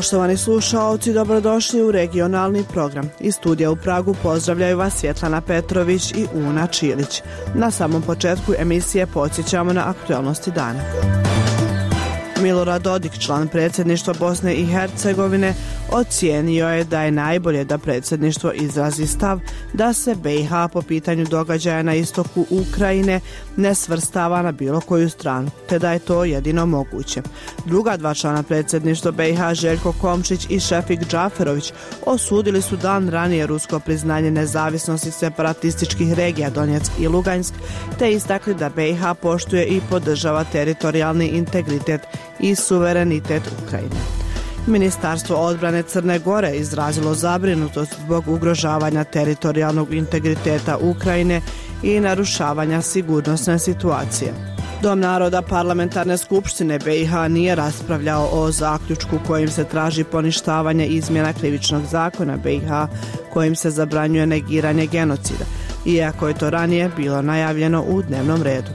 Poštovani slušaoci, dobrodošli u regionalni program. Iz studija u Pragu pozdravljaju vas Svjetlana Petrović i Una Čilić. Na samom početku emisije podsjećamo na aktualnosti dana. Milorad Dodik, član predsjedništva Bosne i Hercegovine, ocijenio je da je najbolje da predsjedništvo izrazi stav da se BiH po pitanju događaja na istoku Ukrajine ne svrstava na bilo koju stranu, te da je to jedino moguće. Druga dva člana predsjedništva BiH, Željko Komšić i Šefik Džaferović, osudili su dan ranije rusko priznanje nezavisnosti separatističkih regija Donjeck i Lugansk, te istakli da BiH poštuje i podržava teritorijalni integritet i suverenitet Ukrajine. Ministarstvo odbrane Crne Gore izrazilo zabrinutost zbog ugrožavanja teritorijalnog integriteta Ukrajine i narušavanja sigurnosne situacije. Dom naroda Parlamentarne skupštine BiH nije raspravljao o zaključku kojim se traži poništavanje izmjena krivičnog zakona BiH kojim se zabranjuje negiranje genocida, iako je to ranije bilo najavljeno u dnevnom redu.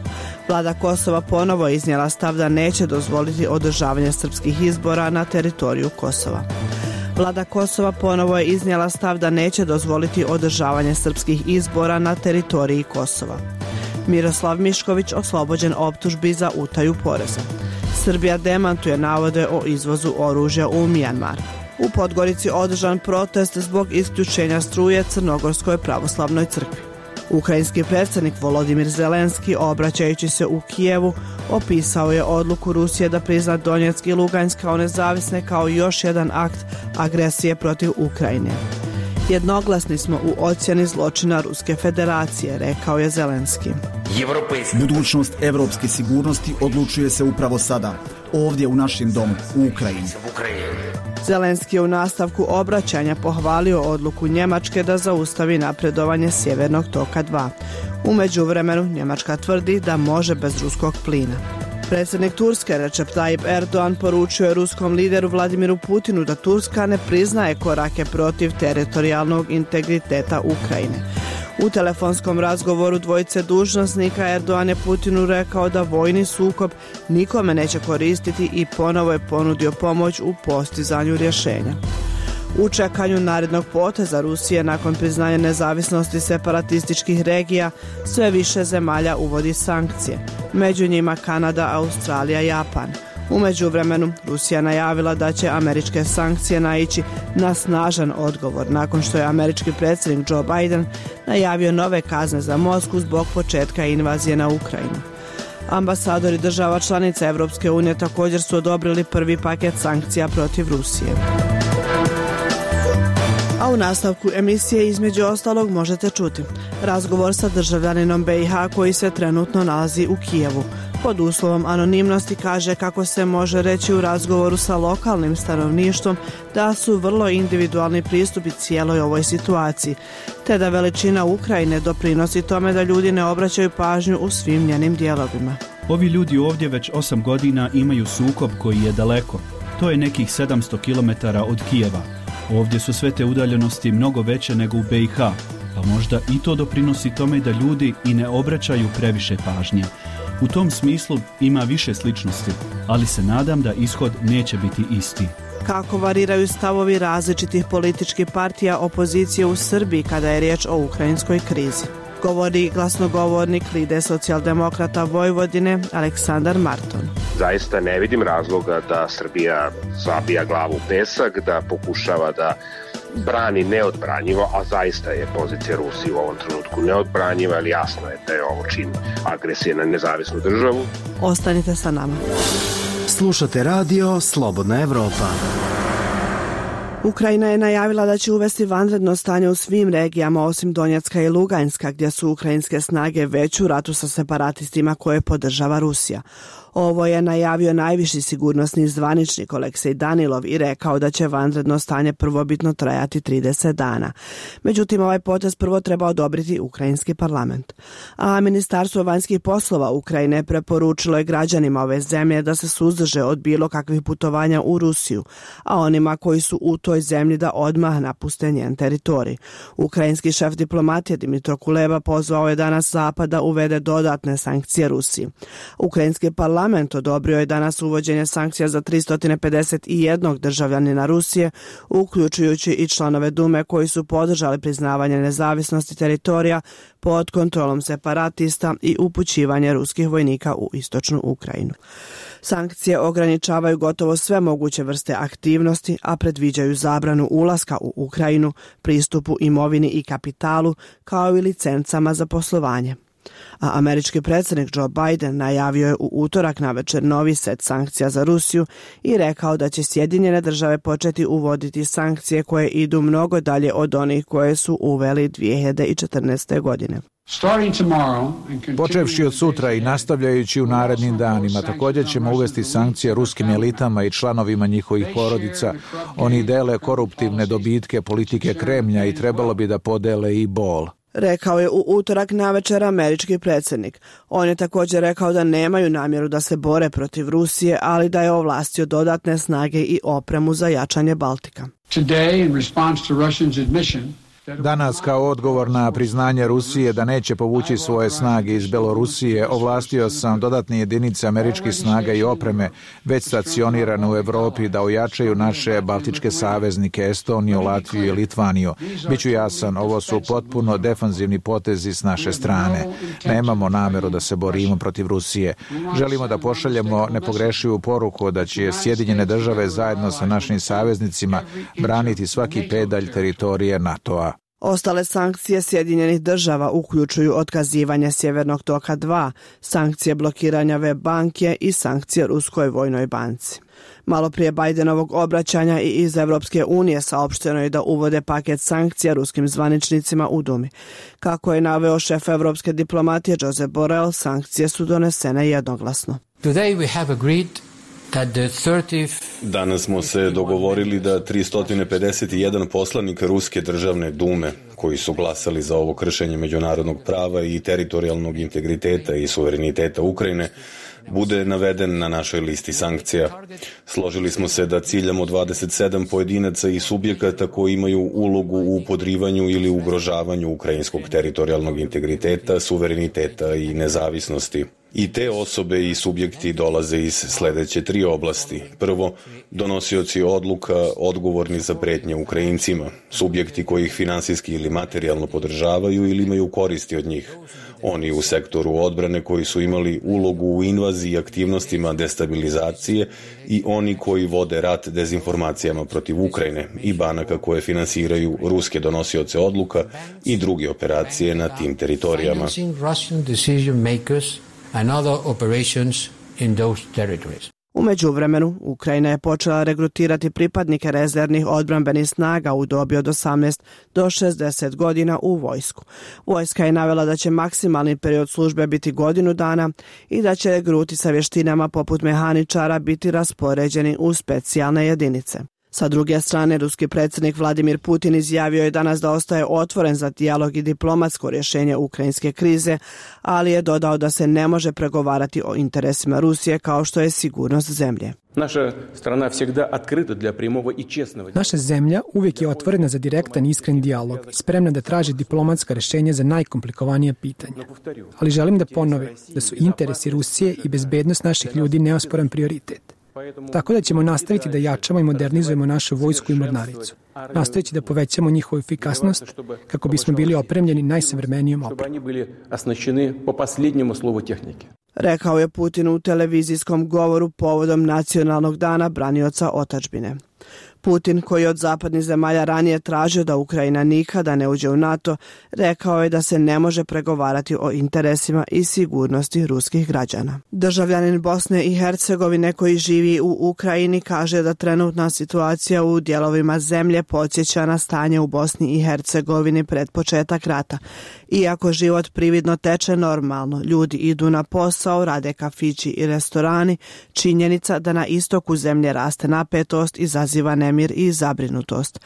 Vlada Kosova ponovo je iznijela stav da neće dozvoliti održavanje srpskih izbora na teritoriju Kosova. Vlada Kosova ponovo je iznijela stav da neće dozvoliti održavanje srpskih izbora na teritoriji Kosova. Miroslav Mišković oslobođen optužbi za utaju poreza. Srbija demantuje navode o izvozu oružja u Mijanmar. U Podgorici održan protest zbog isključenja struje Crnogorskoj pravoslavnoj crkvi. Ukrajinski predsjednik Volodimir Zelenski, obraćajući se u Kijevu, opisao je odluku Rusije da prizna Donjeck i Lugansk kao nezavisne kao još jedan akt agresije protiv Ukrajine. Jednoglasni smo u ocjeni zločina Ruske federacije, rekao je Zelenski. Budućnost evropske sigurnosti odlučuje se upravo sada, ovdje u našem domu, u Ukrajini. Zelenski je u nastavku obraćanja pohvalio odluku Njemačke da zaustavi napredovanje Sjevernog toka 2. U međuvremenu Njemačka tvrdi da može bez ruskog plina. Predsjednik Turske Recep Tayyip Erdogan poručio je ruskom lideru Vladimiru Putinu da Turska ne priznaje korake protiv teritorijalnog integriteta Ukrajine. U telefonskom razgovoru dvojice dužnosnika Erdogan je Putinu rekao da vojni sukob nikome neće koristiti i ponovo je ponudio pomoć u postizanju rješenja. U čekanju narednog poteza Rusije nakon priznanja nezavisnosti separatističkih regija, sve više zemalja uvodi sankcije. Među njima Kanada, Australija i Japan. U međuvremenu Rusija najavila da će američke sankcije naići na snažan odgovor nakon što je američki predsjednik Joe Biden najavio nove kazne za Moskvu zbog početka invazije na Ukrajinu. Ambasadori država članica Europske unije također su odobrili prvi paket sankcija protiv Rusije. A u nastavku emisije između ostalog možete čuti razgovor sa državljaninom BiH koji se trenutno nalazi u Kijevu. Pod uslovom anonimnosti kaže kako se može reći u razgovoru sa lokalnim stanovništvom da su vrlo individualni pristupi cijeloj ovoj situaciji, te da veličina Ukrajine doprinosi tome da ljudi ne obraćaju pažnju u svim njenim dijelovima. Ovi ljudi ovdje već 8 godina imaju sukob koji je daleko. To je nekih 700 km od Kijeva. Ovdje su sve te udaljenosti mnogo veće nego u BiH, pa možda i to doprinosi tome da ljudi i ne obraćaju previše pažnje. U tom smislu ima više sličnosti, ali se nadam da ishod neće biti isti. Kako variraju stavovi različitih političkih partija opozicije u Srbiji kada je riječ o ukrajinskoj krizi? Govori glasnogovornik Lide socijaldemokrata Vojvodine Aleksandar Marton. Zaista ne vidim razloga da Srbija zabija glavu u pesak, da pokušava da brani neodbranjivo, a zaista je pozicija Rusije u ovom trenutku neodbranjiva, ali jasno je da je ovo čin agresije na nezavisnu državu. Ostanite sa nama. Slušate radio Slobodna Evropa. Ukrajina je najavila da će uvesti vanredno stanje u svim regijama osim Donjecka i Luganska, gdje su ukrajinske snage već u ratu sa separatistima koje podržava Rusija. Ovo je najavio najviši sigurnosni zvaničnik Oleksej Danilov i rekao da će vanredno stanje prvobitno trajati 30 dana. Međutim, ovaj potez prvo treba odobriti ukrajinski parlament. A Ministarstvo vanjskih poslova Ukrajine preporučilo je građanima ove zemlje da se suzdrže od bilo kakvih putovanja u Rusiju, a onima koji su u toj zemlji da odmah napuste njen teritorij. Ukrajinski šef diplomatije Dmitro Kuleba pozvao je danas Zapad da uvede dodatne sankcije Rusiji. Ukrajinski parlament odobrio je danas uvođenje sankcija za 351 državljanina Rusije, uključujući i članove Dume koji su podržali priznavanje nezavisnosti teritorija pod kontrolom separatista i upućivanje ruskih vojnika u istočnu Ukrajinu. Sankcije ograničavaju gotovo sve moguće vrste aktivnosti, a predviđaju zabranu ulaska u Ukrajinu, pristupu imovini i kapitalu, kao i licencama za poslovanje. A američki predsjednik Joe Biden najavio je u utorak navečer novi set sankcija za Rusiju i rekao da će Sjedinjene države početi uvoditi sankcije koje idu mnogo dalje od onih koje su uveli 2014. godine. Počevši od sutra i nastavljajući u narednim danima, također ćemo uvesti sankcije ruskim elitama i članovima njihovih porodica. Oni dele koruptivne dobitke politike Kremlja i trebalo bi da podele i bol. Rekao je u utorak navečer američki predsjednik. On je također rekao da nemaju namjeru da se bore protiv Rusije, ali da je ovlastio dodatne snage i opremu za jačanje Baltika. Danas, kao odgovor na priznanje Rusije da neće povući svoje snage iz Belorusije, ovlastio sam dodatne jedinice američkih snaga i opreme već stacionirane u Europi da ojačaju naše baltičke saveznike Estoniju, Latviju i Litvaniju. Biću jasan, ovo su potpuno defanzivni potezi s naše strane. Nemamo namjeru da se borimo protiv Rusije. Želimo da pošaljemo nepogrešivu poruku da će Sjedinjene države zajedno sa našim saveznicima braniti svaki pedalj teritorije NATO-a. Ostale sankcije Sjedinjenih država uključuju otkazivanje Sjevernog toka 2, sankcije blokiranja web banke i sankcije Ruskoj vojnoj banci. Malo prije Bidenovog obraćanja i iz Evropske unije saopšteno je da uvode paket sankcija ruskim zvaničnicima u Dumi. Kako je naveo šef evropske diplomatije Josep Borrell, sankcije su donesene jednoglasno. Today we have agreed. Danas smo se dogovorili da 351 poslanik Ruske državne dume, koji su glasali za ovo kršenje međunarodnog prava i teritorijalnog integriteta i suvereniteta Ukrajine, bude naveden na našoj listi sankcija. Složili smo se da ciljamo 27 pojedinaca i subjekata koji imaju ulogu u podrivanju ili ugrožavanju ukrajinskog teritorijalnog integriteta, suvereniteta i nezavisnosti. I te osobe i subjekti dolaze iz sljedeće 3 oblasti. Prvo, donosioci odluka odgovorni za prijetnje Ukrajincima, subjekti koji ih finansijski ili materijalno podržavaju ili imaju koristi od njih. Oni u sektoru odbrane koji su imali ulogu u invaziji i aktivnostima destabilizacije i oni koji vode rat dezinformacijama protiv Ukrajine i banaka koje finansiraju ruske donosioce odluka i druge operacije na tim teritorijama. And other operations in those territories. U međuvremenu, Ukrajina je počela regrutirati pripadnike rezervnih odbrambenih snaga u dobi od 18 do 60 godina u vojsku. Vojska je navela da će maksimalni period službe biti godinu dana i da će regruti sa vještinama poput mehaničara biti raspoređeni u specijalne jedinice. Sa druge strane, ruski predsjednik Vladimir Putin izjavio je danas da ostaje otvoren za dijalog i diplomatsko rješenje ukrajinske krize, ali je dodao da se ne može pregovarati o interesima Rusije kao što je sigurnost zemlje. Naša zemlja uvijek je otvorena za direktan i iskren dijalog i spremna da traži diplomatska rješenja za najkomplikovanije pitanja. Ali želim da ponovim da su interesi Rusije i bezbednost naših ljudi neosporan prioritet. Tako da ćemo nastaviti da jačamo i modernizujemo našu vojsku i mornaricu. Nastaviti da povećamo njihovu efikasnost kako bismo bili opremljeni najsavremenijom opremom. Rekao je Putin u televizijskom govoru povodom Nacionalnog dana branioca otadžbine. Putin, koji od zapadnih zemalja ranije tražio da Ukrajina nikada ne uđe u NATO, rekao je da se ne može pregovarati o interesima i sigurnosti ruskih građana. Državljanin Bosne i Hercegovine koji živi u Ukrajini kaže da trenutna situacija u dijelovima zemlje podsjeća na stanje u Bosni i Hercegovini pred početak rata. Iako život prividno teče normalno, ljudi idu na posao, rade kafići i restorani, činjenica da na istoku zemlje raste napetost izaziva nemir i zabrinutost.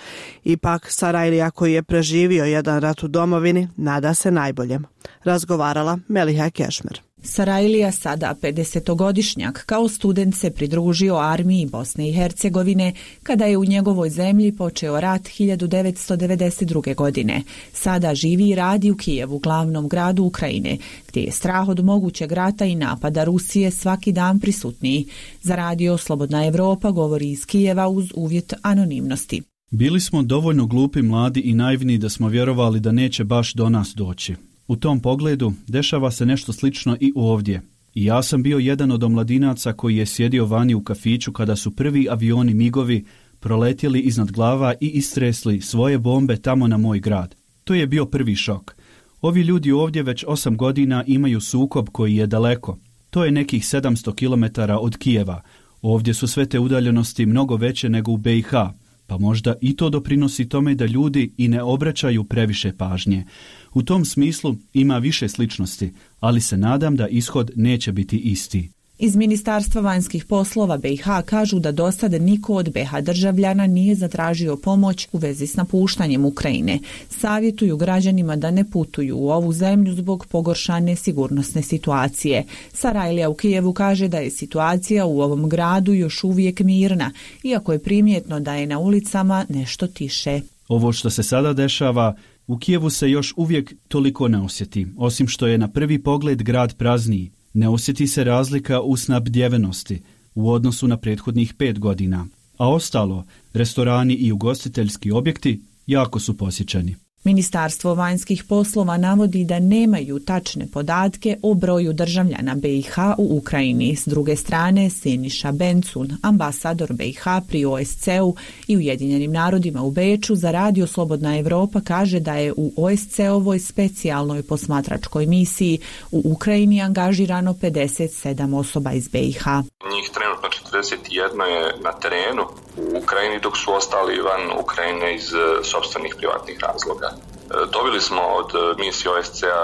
Ipak Sarajlija, koji je preživio jedan rat u domovini, nada se najboljem. Razgovarala Meliha Kešmer. Sarajlija, sada 50-godišnjak, kao student se pridružio armiji Bosne i Hercegovine kada je u njegovoj zemlji počeo rat 1992. godine. Sada živi i radi u Kijevu, glavnom gradu Ukrajine, gdje je strah od mogućeg rata i napada Rusije svaki dan prisutniji. Za radio Slobodna Evropa govori iz Kijeva uz uvjet anonimnosti. Bili smo dovoljno glupi, mladi i naivni da smo vjerovali da neće baš do nas doći. U tom pogledu dešava se nešto slično i ovdje. I ja sam bio jedan od omladinaca koji je sjedio vani u kafiću kada su prvi avioni MIG-ovi proletjeli iznad glava i istresli svoje bombe tamo na moj grad. To je bio prvi šok. Ovi ljudi ovdje već 8 godina imaju sukob koji je daleko. To je nekih 700 km od Kijeva. Ovdje su sve te udaljenosti mnogo veće nego u BiH. Pa možda i to doprinosi tome da ljudi i ne obraćaju previše pažnje. U tom smislu ima više sličnosti, ali se nadam da ishod neće biti isti. Iz Ministarstva vanjskih poslova BiH kažu da do sada niko od BiH državljana nije zatražio pomoć u vezi s napuštanjem Ukrajine. Savjetuju građanima da ne putuju u ovu zemlju zbog pogoršane sigurnosne situacije. Sarajlija u Kijevu kaže da je situacija u ovom gradu još uvijek mirna, iako je primjetno da je na ulicama nešto tiše. Ovo što se sada dešava u Kijevu se još uvijek toliko ne osjeti, osim što je na prvi pogled grad prazniji. Ne osjeti se razlika u snabdjevenosti u odnosu na prethodnih 5 godina, a ostalo, restorani i ugostiteljski objekti jako su posjećeni. Ministarstvo vanjskih poslova navodi da nemaju tačne podatke o broju državljana BiH u Ukrajini. S druge strane, Siniša Bencun, ambasador BiH pri OSCE-u i Ujedinjenim narodima u Beču, za radio Slobodna Evropa kaže da je u OSCE-ovoj specijalnoj posmatračkoj misiji u Ukrajini angažirano 57 osoba iz BiH. Njih trenutno 41 je na terenu u Ukrajini, dok su ostali van Ukrajine iz sopstvenih privatnih razloga. Dobili smo od misije OSCE-a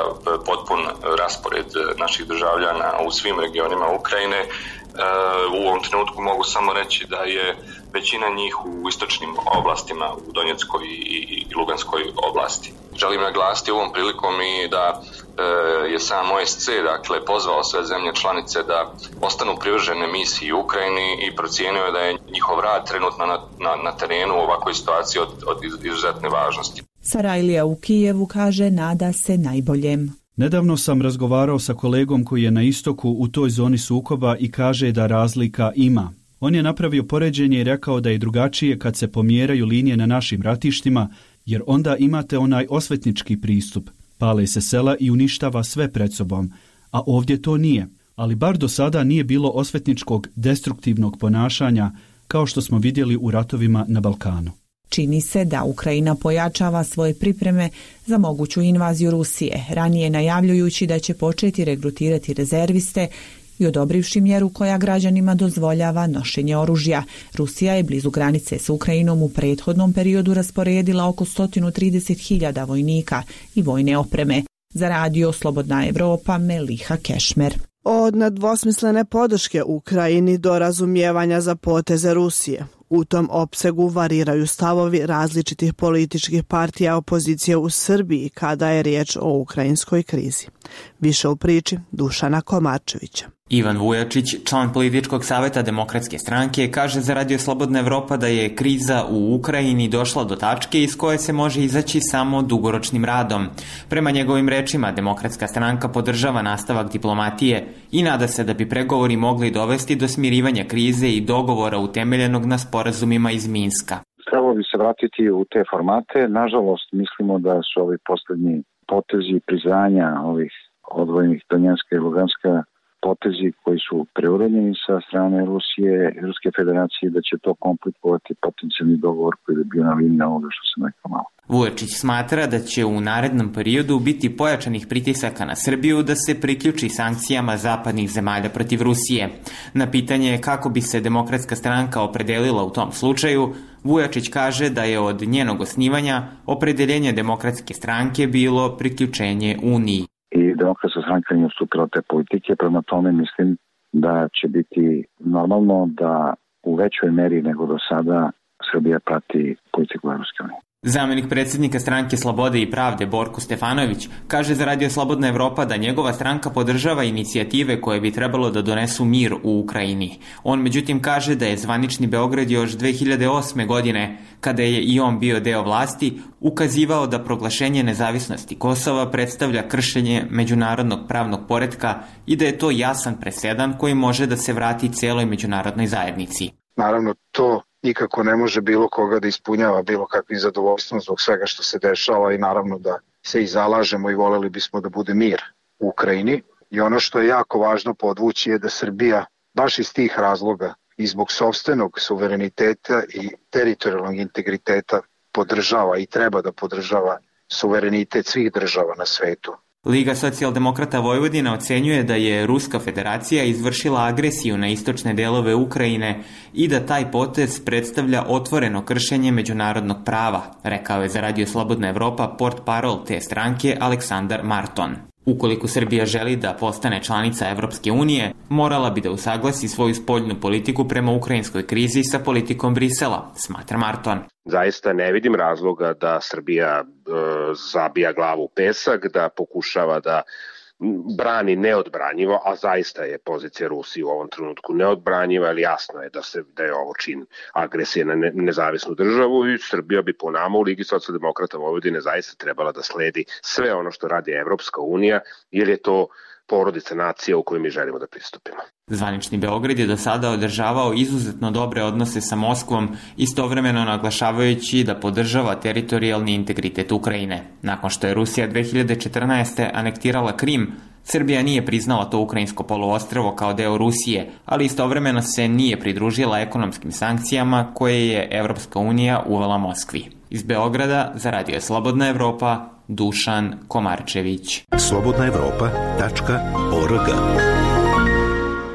potpun raspored naših državljana u svim regionima Ukrajine. U ovom trenutku mogu samo reći da je većina njih u istočnim oblastima, u Donjeckoj i Luganskoj oblasti. Želim naglasiti ovom prilikom i da je sam OSCE pozvao sve zemlje članice da ostanu privržene misiji u Ukrajini i procijenio je da je njihov rad trenutno na terenu u ovakvoj situaciji od izuzetne važnosti. Sarajlija u Kijevu kaže nada se najboljem. Nedavno sam razgovarao sa kolegom koji je na istoku u toj zoni sukoba i kaže da razlika ima. On je napravio poređenje i rekao da je drugačije kad se pomjeraju linije na našim ratištima, jer onda imate onaj osvetnički pristup. Pale se sela i uništava sve pred sobom, a ovdje to nije. Ali bar do sada nije bilo osvetničkog destruktivnog ponašanja kao što smo vidjeli u ratovima na Balkanu. Čini se da Ukrajina pojačava svoje pripreme za moguću invaziju Rusije, ranije najavljujući da će početi regrutirati rezerviste i odobrivši mjeru koja građanima dozvoljava nošenje oružja. Rusija je blizu granice s Ukrajinom u prethodnom periodu rasporedila oko 130.000 vojnika i vojne opreme. Za radio Slobodna Evropa, Meliha Kešmer. Od nedvosmislene podrške Ukrajini do razumijevanja za poteze Rusije. U tom opsegu variraju stavovi različitih političkih partija opozicije u Srbiji kada je riječ o ukrajinskoj krizi. Više u priči Dušana Komarčevića. Ivan Vujačić, član političkog savjeta Demokratske stranke, kaže za radio Slobodna Evropa da je kriza u Ukrajini došla do tačke iz koje se može izaći samo dugoročnim radom. Prema njegovim rečima, Demokratska stranka podržava nastavak diplomatije i nada se da bi pregovori mogli dovesti do smirivanja krize i dogovora utemeljenog na sporazumima iz Minska. Trebalo bi se vratiti u te formate. Nažalost, mislimo da su ovi posljednji potezi priznanja ovih odvojenih Donjeska i Luganska potezi koji su preuranjeni sa strane Ruske federacije, da će to komplikovati potencijalni dogovor koji je bio na liniji ovoga što sam rekao malo. Vujačić smatra da će u narednom periodu biti pojačanih pritisaka na Srbiju da se priključi sankcijama zapadnih zemalja protiv Rusije. Na pitanje kako bi se Demokratska stranka opredelila u tom slučaju, Vujačić kaže da je od njenog osnivanja opredeljenje Demokratske stranke bilo priključenje Uniji. I Demokratska stranka nije ustupila te politike, prema tome mislim da će biti normalno da u većoj meri nego do sada Srbija prati politiku Evropske unije. Zamenik predsjednika stranke Slobode i pravde Borko Stefanović kaže za Radio Slobodna Evropa da njegova stranka podržava inicijative koje bi trebalo da donesu mir u Ukrajini. On međutim kaže da je zvanični Beograd još 2008. godine, kada je i on bio deo vlasti, ukazivao da proglašenje nezavisnosti Kosova predstavlja kršenje međunarodnog pravnog poretka i da je to jasan presedan koji može da se vrati celoj međunarodnoj zajednici. Naravno, to nikako ne može bilo koga da ispunjava bilo kakvim zadovoljstvom zbog svega što se dešava i naravno da se i zalažemo i voleli bismo da bude mir u Ukrajini. I ono što je jako važno podvući je da Srbija baš iz tih razloga i zbog sopstvenog suvereniteta i teritorijalnog integriteta podržava i treba da podržava suverenitet svih država na svetu. Liga socijaldemokrata Vojvodina ocenjuje da je Ruska federacija izvršila agresiju na istočne delove Ukrajine i da taj potez predstavlja otvoreno kršenje međunarodnog prava, rekao je za Radio Slobodna Evropa portparol te stranke Aleksandar Marton. Ukoliko Srbija želi da postane članica Evropske unije, morala bi da usaglasi svoju spoljnu politiku prema ukrajinskoj krizi sa politikom Brisela, smatra Marton. Zaista ne vidim razloga da Srbija zabija glavu u pesak, da pokušava da brani neodbranjivo, a zaista je pozicija Rusije u ovom trenutku neodbranjiva, ali jasno je da je ovo čin agresije na nezavisnu državu i Srbija bi po nama u Ligi socijaldemokrata Vojvodine zaista trebala da sledi sve ono što radi Evropska unija, jer je to porodica nacija u kojoj mi želimo da pristupimo. Zvanični Beograd je do sada održavao izuzetno dobre odnose sa Moskvom, istovremeno naglašavajući da podržava teritorijalni integritet Ukrajine. Nakon što je Rusija 2014. anektirala Krim, Srbija nije priznala to ukrajinsko poluostrvo kao deo Rusije, ali istovremeno se nije pridružila ekonomskim sankcijama koje je Evropska unija uvela Moskvi. Iz Beograda za Radio Slobodna Evropa, Dušan Komarčević. slobodnaevropa.org.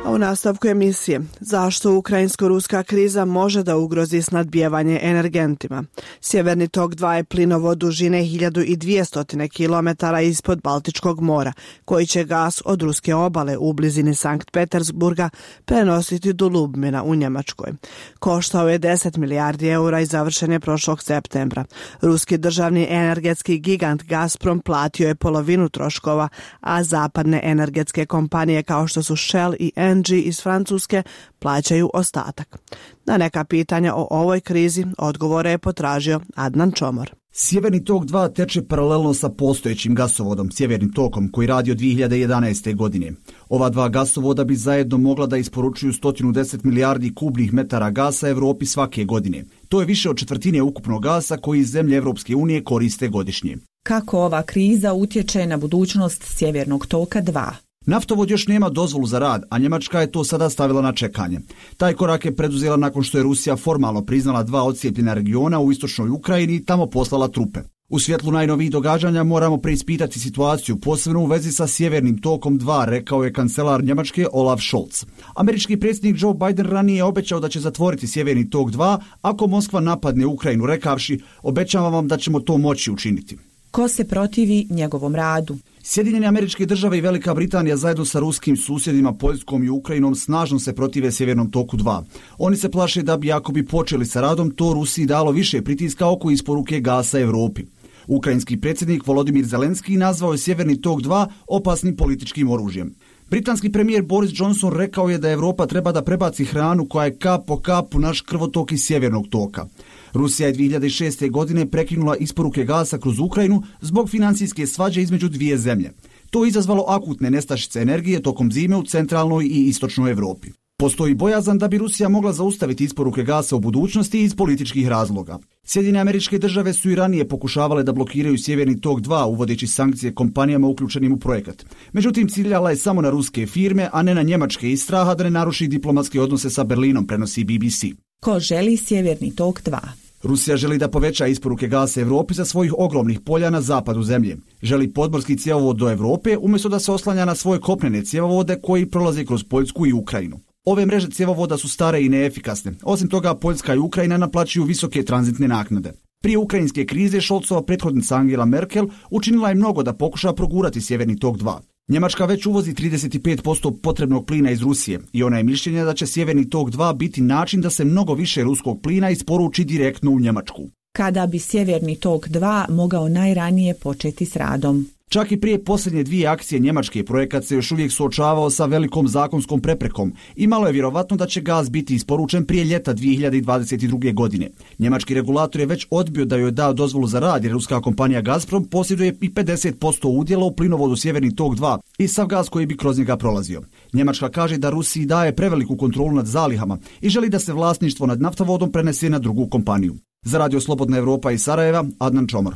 A u nastavku emisije, zašto ukrajinsko-ruska kriza može da ugrozi snadbijevanje energentima? Sjeverni tok 2 je plinovod dužine 1200 km ispod Baltičkog mora, koji će gas od ruske obale u blizini Sankt Petersburga prenositi do Ljubmina u Njemačkoj. Koštao je 10 milijardi eura i završen je prošlog septembra. Ruski državni energetski gigant Gazprom platio je polovinu troškova, a zapadne energetske kompanije kao što su Shell i Engie iz Francuske plaćaju ostatak. Na neka pitanja o ovoj krizi odgovore je potražio Adnan Čomor. Sjeverni tok 2 teče paralelno sa postojećim gasovodom, Sjevernim tokom, koji radi od 2011. godine. Ova dva gasovoda bi zajedno mogla da isporučuju 110 milijardi kubnih metara gasa Evropi svake godine. To je više od četvrtine ukupnog gasa koji zemlje Evropske unije koriste godišnje. Kako ova kriza utječe na budućnost Sjevernog toka 2? Naftovod još nema dozvolu za rad, a Njemačka je to sada stavila na čekanje. Taj korak je preduzela nakon što je Rusija formalno priznala 2 odcijepljena regiona u istočnoj Ukrajini i tamo poslala trupe. U svjetlu najnovijih događanja moramo preispitati situaciju, posebno u vezi sa Sjevernim tokom 2, rekao je kancelar Njemačke Olaf Scholz. Američki predsjednik Joe Biden ranije je obećao da će zatvoriti Sjeverni tok 2 ako Moskva napadne Ukrajinu, rekavši: obećavam vam da ćemo to moći učiniti. Ko se protivi njegovom radu? Sjedinjene Američke Države i Velika Britanija zajedno sa ruskim susjedima Poljskom i Ukrajinom snažno se protive Sjevernom toku 2. Oni se plaše da bi, ako bi počeli sa radom, to Rusiji dalo više pritiska oko isporuke gasa Evropi. Ukrajinski predsjednik Volodimir Zelenski nazvao je Sjeverni tok 2 opasnim političkim oružjem. Britanski premijer Boris Johnson rekao je da Evropa treba da prebaci hranu koja je kap po kap u naš krvotok iz Sjevernog toka. Rusija je 2006. godine prekinula isporuke gasa kroz Ukrajinu zbog financijske svađe između dvije zemlje. To je izazvalo akutne nestašice energije tokom zime u centralnoj i istočnoj Evropi. Postoji bojazan da bi Rusija mogla zaustaviti isporuke gasa u budućnosti iz političkih razloga. Sjedinjene Američke Države su i ranije pokušavale da blokiraju Sjeverni tok 2 uvodeći sankcije kompanijama uključenim u projekat. Međutim, ciljala je samo na ruske firme, a ne na njemačke iz straha da ne naruši diplomatske odnose sa Berlinom, prenosi BBC. Ko želi Sjeverni tok 2? Rusija želi da poveća isporuke gasa Evropi sa svojih ogromnih polja na zapadu zemlje. Želi podmorski cjevovod do Evrope umjesto da se oslanja na svoje kopnene cjevovode koji prolaze kroz Poljsku i Ukrajinu. Ove mreže cjevovoda su stare i neefikasne. Osim toga, Poljska i Ukrajina naplaćuju visoke tranzitne naknade. Prije ukrajinske krize Scholzova prethodnica Angela Merkel učinila je mnogo da pokuša progurati Sjeverni tok 2. Njemačka već uvozi 35% potrebnog plina iz Rusije i ona je mišljenja da će Sjeverni tok 2 biti način da se mnogo više ruskog plina isporuči direktno u Njemačku. Kada bi Sjeverni tok 2 mogao najranije početi s radom? Čak i prije posljednje 2 akcije njemačke projekat se još uvijek suočavao sa velikom zakonskom preprekom i malo je vjerovatno da će gaz biti isporučen prije ljeta 2022. godine. Njemački regulator je već odbio da joj da dozvolu za rad jer ruska kompanija Gazprom posjeduje i 50% udjela u plinovodu Sjeverni tok 2 i sav gaz koji bi kroz njega prolazio. Njemačka kaže da Rusiji daje preveliku kontrolu nad zalihama i želi da se vlasništvo nad naftovodom prenese na drugu kompaniju. Za Radio Slobodna Evropa iz Sarajeva, Adnan Čomor.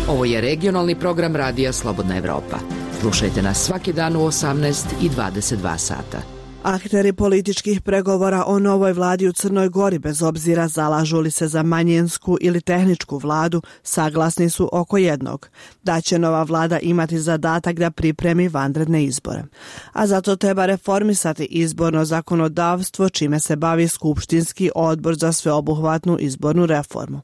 Ovo je regionalni program Radija Slobodna Evropa. Slušajte nas svaki dan u 18 i 22 sata. Akteri političkih pregovora o novoj vladi u Crnoj Gori, bez obzira zalažu li se za manjinsku ili tehničku vladu, saglasni su oko jednog, da će nova vlada imati zadatak da pripremi vanredne izbore. A zato treba reformisati izborno zakonodavstvo, čime se bavi Skupštinski odbor za sveobuhvatnu izbornu reformu.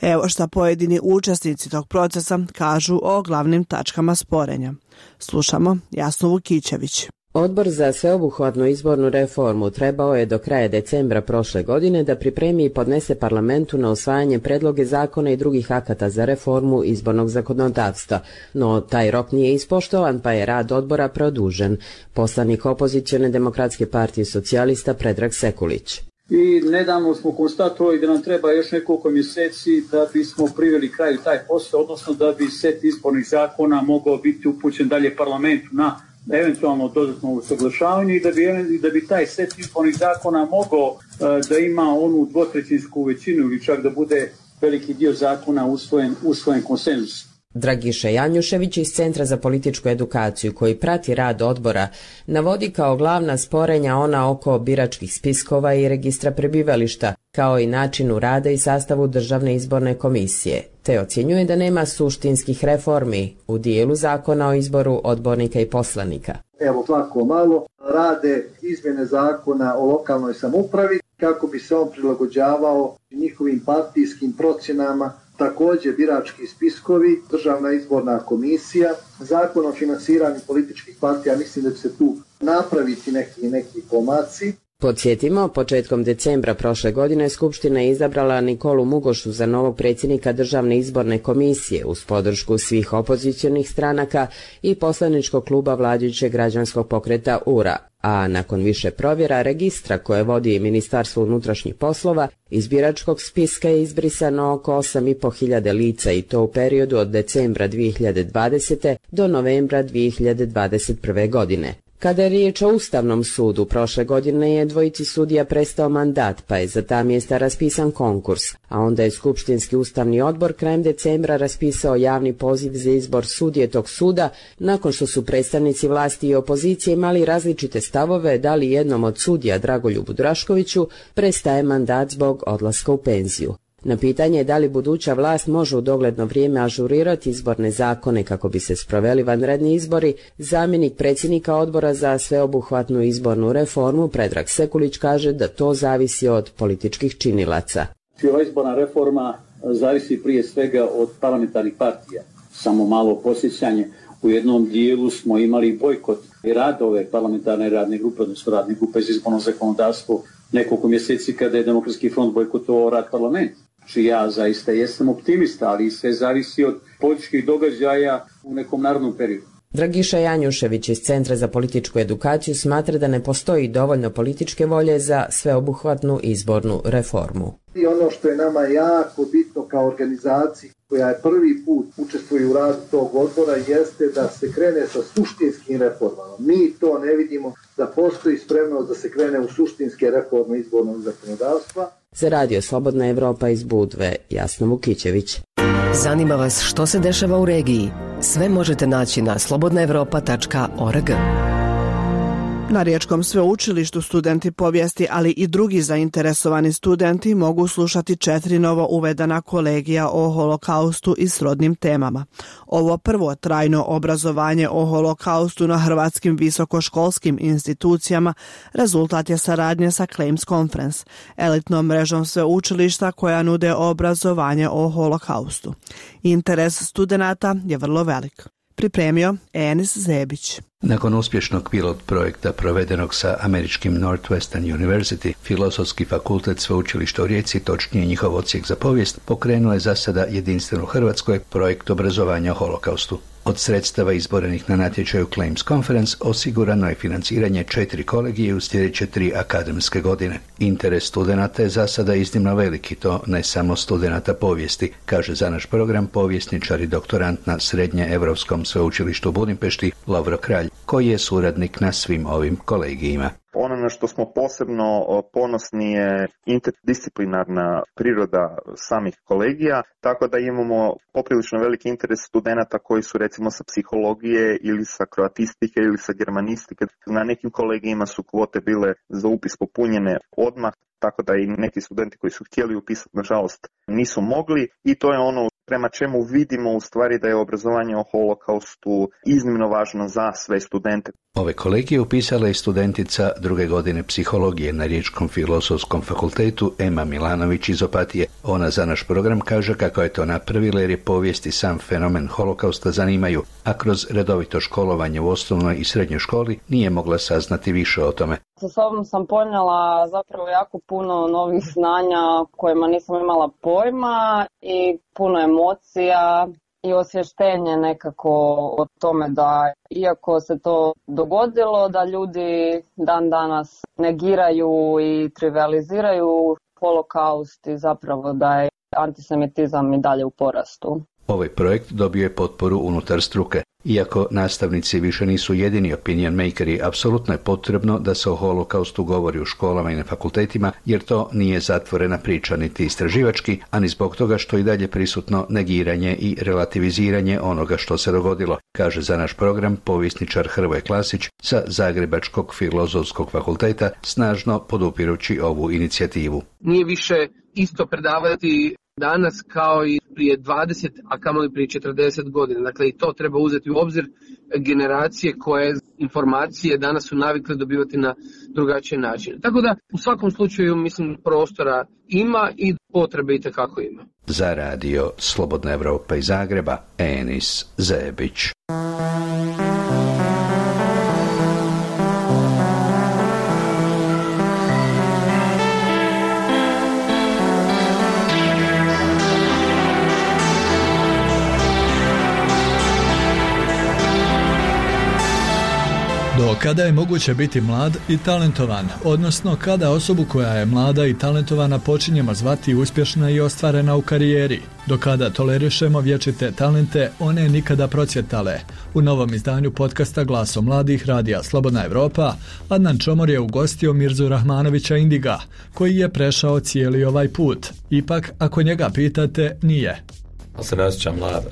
Evo šta pojedini učesnici tog procesa kažu o glavnim tačkama sporenja. Slušamo Jasnu Vukićević. Odbor za sveobuhvatnu izbornu reformu trebao je do kraja decembra prošle godine da pripremi i podnese parlamentu na usvajanje predloge zakona i drugih akata za reformu izbornog zakonodavstva, no taj rok nije ispoštovan pa je rad odbora produžen. Poslanik opozicione Demokratske partije socijalista Predrag Sekulić. I nedavno smo konstatovali da nam treba još nekoliko mjeseci da bismo priveli kraju taj posao, odnosno da bi set izbornih zakona mogao biti upućen dalje parlamentu na eventualno dodatno usaglašavanje i da bi taj set izbornih zakona mogao da ima onu dvotrećinsku većinu ili čak da bude veliki dio zakona usvojen konsenzus. Dragiša Janjušević iz Centra za političku edukaciju, koji prati rad odbora, navodi kao glavna sporenja ona oko biračkih spiskova i registra prebivališta, kao i načinu rada i sastavu Državne izborne komisije, te ocjenjuje da nema suštinskih reformi u dijelu zakona o izboru odbornika i poslanika. Evo, svako malo rade izmjene zakona o lokalnoj samoupravi kako bi se on prilagođavao njihovim partijskim procjenama. Također birački spiskovi, Državna izborna komisija, zakon o financiranju političkih partija, mislim da će se tu napraviti neki pomaci. Podsjetimo, početkom decembra prošle godine Skupština je izabrala Nikolu Mugošu za novog predsjednika Državne izborne komisije uz podršku svih opozicionih stranaka i poslaničkog kluba vladajućeg građanskog pokreta URA, a nakon više provjera registra koje vodi Ministarstvo unutrašnjih poslova, iz biračkog spiska je izbrisano oko 8.500 lica i to u periodu od decembra 2020. do novembra 2021. godine. Kada je riječ o Ustavnom sudu, prošle godine je dvojici sudija prestao mandat, pa je za ta mjesta raspisan konkurs, a onda je Skupštinski ustavni odbor krajem decembra raspisao javni poziv za izbor sudije tog suda, nakon što su predstavnici vlasti i opozicije imali različite stavove da li jednom od sudija, Dragoljubu Draškoviću, prestaje mandat zbog odlaska u penziju. Na pitanje da li buduća vlast može u dogledno vrijeme ažurirati izborne zakone kako bi se sproveli vanredni izbori, zamjenik predsjednika odbora za sveobuhvatnu izbornu reformu Predrag Sekulić kaže da to zavisi od političkih činilaca. Ova izborna reforma zavisi prije svega od parlamentarnih partija. Samo malo posjećanje, u jednom dijelu smo imali bojkot i rad ove parlamentarne radne grupe, odnosno radne grupe za izborno zakonodavstvo nekoliko mjeseci kada je Demokratski front bojkotovao rad parlamenta. Znači ja zaista jesam optimista, ali sve zavisi od političkih događaja u nekom narodnom periodu. Dragiša Janjušević iz Centra za političku edukaciju smatra da ne postoji dovoljno političke volje za sveobuhvatnu izbornu reformu. I ono što je nama jako bitno kao organizaciji koja je prvi put učestvuje u radu tog odbora jeste da se krene sa suštinskim reformama. Mi to ne vidimo da postoji spremnost da se krene u suštinske reforme izbornog zakonodavstva. Za Radio Slobodna Evropa iz Budve, Jasna Vukićević. Zanima vas što se dešava u regiji? Sve možete naći na slobodnaevropa.org. Na Riječkom sveučilištu studenti povijesti, ali i drugi zainteresovani studenti mogu slušati 4 novo uvedena kolegija o holokaustu i srodnim temama. Ovo prvo trajno obrazovanje o holokaustu na hrvatskim visokoškolskim institucijama rezultat je saradnje sa Claims Conference, elitnom mrežom sveučilišta koja nude obrazovanje o holokaustu. Interes studenata je vrlo velik. Pripremio Enis Zebić. Nakon uspješnog pilot projekta provedenog sa američkim Northwestern University, Filozofski fakultet sveučilišta u Rijeci, točnije njihov odsjek za povijest, pokrenuo je za sada jedinstven u Hrvatskoj projekt obrazovanja o holokaustu. Od sredstava izborenih na natječaju Claims Conference osigurano je financiranje 4 kolegije u sljedeće 3 akademske godine. Interes studenata je za sada iznimno veliki, to ne samo studenata povijesti, kaže za naš program povjesničar i doktorant na Srednje-Europskom sveučilištu u Budimpešti Lovro Kralj, koji je suradnik na svim ovim kolegijima. Ono na što smo posebno ponosni je interdisciplinarna priroda samih kolegija, tako da imamo poprilično veliki interes studenata koji su recimo sa psihologije ili sa kroatistike ili sa germanistike. Na nekim kolegijima su kvote bile za upis popunjene odmah, tako da i neki studenti koji su htjeli upisati, nažalost, nisu mogli i to je ono prema čemu vidimo u stvari da je obrazovanje o holokaustu iznimno važno za sve studente. Ove kolegije upisala je studentica 2. godine psihologije na Riječkom filozofskom fakultetu Ema Milanović iz Opatije. Ona za naš program kaže kako je to napravila jer je povijest i sam fenomen holokausta zanimaju, a kroz redovito školovanje u osnovnoj i srednjoj školi nije mogla saznati više o tome. Sa sobom sam ponijela zapravo jako puno novih znanja kojima nisam imala pojma i puno emocija i osvještenje nekako o tome da iako se to dogodilo da ljudi dan danas negiraju i trivializiraju holokaust i zapravo da je antisemitizam i dalje u porastu. Ovaj projekt dobio je potporu unutar struke. Iako nastavnici više nisu jedini opinion makeri, apsolutno je potrebno da se o holokaustu govori u školama i na fakultetima, jer to nije zatvorena priča niti istraživački, a ni zbog toga što i dalje prisutno negiranje i relativiziranje onoga što se dogodilo, kaže za naš program povjesničar Hrvoje Klasić sa Zagrebačkog filozofskog fakulteta, snažno podupirući ovu inicijativu. Nije više isto predavati danas kao i prije 20, a kamoli prije 40 godina. Dakle, i to treba uzeti u obzir. Generacije koje informacije danas su navikle dobivati na drugačije načine. Tako da, u svakom slučaju, mislim, prostora ima i potrebe itekako ima. Za radio Slobodna Evropa iz Zagreba, Enis Zebić. Do kada je moguće biti mlad i talentovan, odnosno kada osobu koja je mlada i talentovana počinjemo zvati uspješna i ostvarena u karijeri, do kada tolerišemo vječite talente, one nikada procvjetale. U novom izdanju podcasta Glasom mladih radija Slobodna Evropa, Adnan Čomor je ugostio Mirzu Rahmanovića Indiga, koji je prešao cijeli ovaj put. Ipak, ako njega pitate, nije. Se ne osjećam mlad.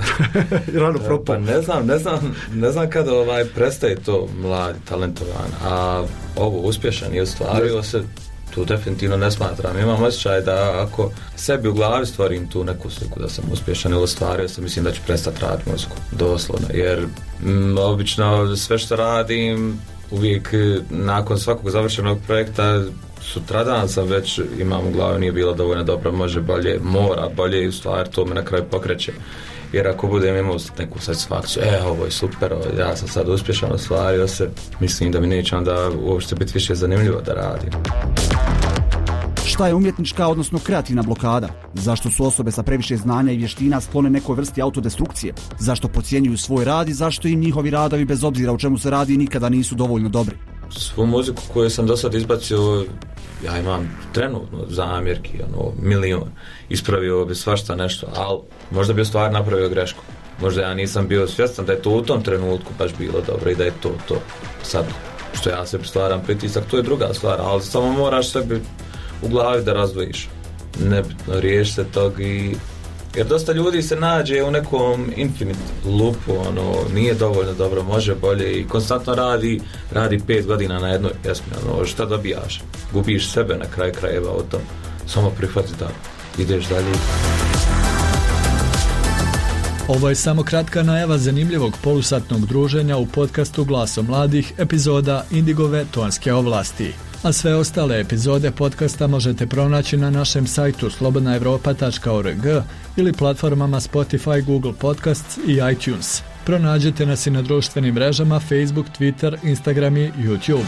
Rano propao. Pa ne znam kada prestaje to mlad, talentovan, a ovo uspješan i ostvario se, tu definitivno ne smatram. Imam osjećaj da ako sebi u glavi stvorim tu neku sliku da sam uspješan ili ostvario se, mislim da ću prestati raditi muziku, doslovno, jer obično sve što radim, uvijek nakon svakog završenog projekta sutradan sam već imam u glavi nije bilo dovoljno dobro, može bolje, mora bolje i u stvari to me na kraju pokreće. Jer ako budem imao neku satisfakciju, ovo je super, ja sam sad uspješan, ostvario se, mislim da mi neće onda uopšte biti više zanimljivo da radim. Šta je umjetnička, odnosno kreativna blokada? Zašto su osobe sa previše znanja i vještina sklone nekoj vrsti autodestrukcije? Zašto podcjenjuju svoj rad i zašto im njihovi radovi, bez obzira o čemu se radi, nikada nisu dovoljno dobri? Svu muziku koju sam do sad izbacio, ja imam trenutno zamjerki, milion. Ispravio bi svašta nešto, ali možda bi u stvari napravio grešku. Možda ja nisam bio svjestan da je to u tom trenutku baš bilo dobro i da je to. Sad, što ja sebi stvaram pritisak, to je druga stvar, ali samo moraš sebi u glavi da razdvojiš. Nebitno, riješi se tog jer dosta ljudi se nađe u nekom infinite loopu, nije dovoljno dobro, može bolje i konstantno radi 5 godina na jednoj pjesmi, šta dobijaš? Gubiš sebe na kraju krajeva od tom. Samo prihvati da ideš dalje. Ovo je samo kratka najava zanimljivog polusatnog druženja u podcastu Glaso mladih, epizoda Indigove tonske ovlasti. A sve ostale epizode podcasta možete pronaći na našem sajtu slobodnaevropa.org ili platformama Spotify, Google Podcasts i iTunes. Pronađite nas i na društvenim mrežama Facebook, Twitter, Instagram i YouTube.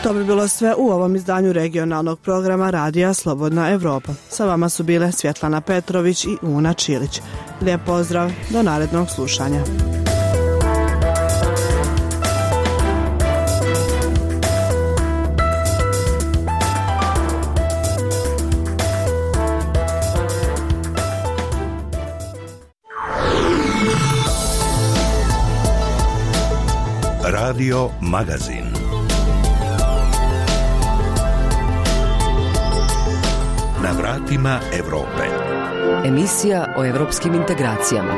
To bi bilo sve u ovom izdanju regionalnog programa Radija Slobodna Evropa. Sa vama su bile Svjetlana Petrović i Una Čilić. Lijep pozdrav, do narednog slušanja. Radio Magazin. Na vratima Evrope. Emisija o evropskim integracijama.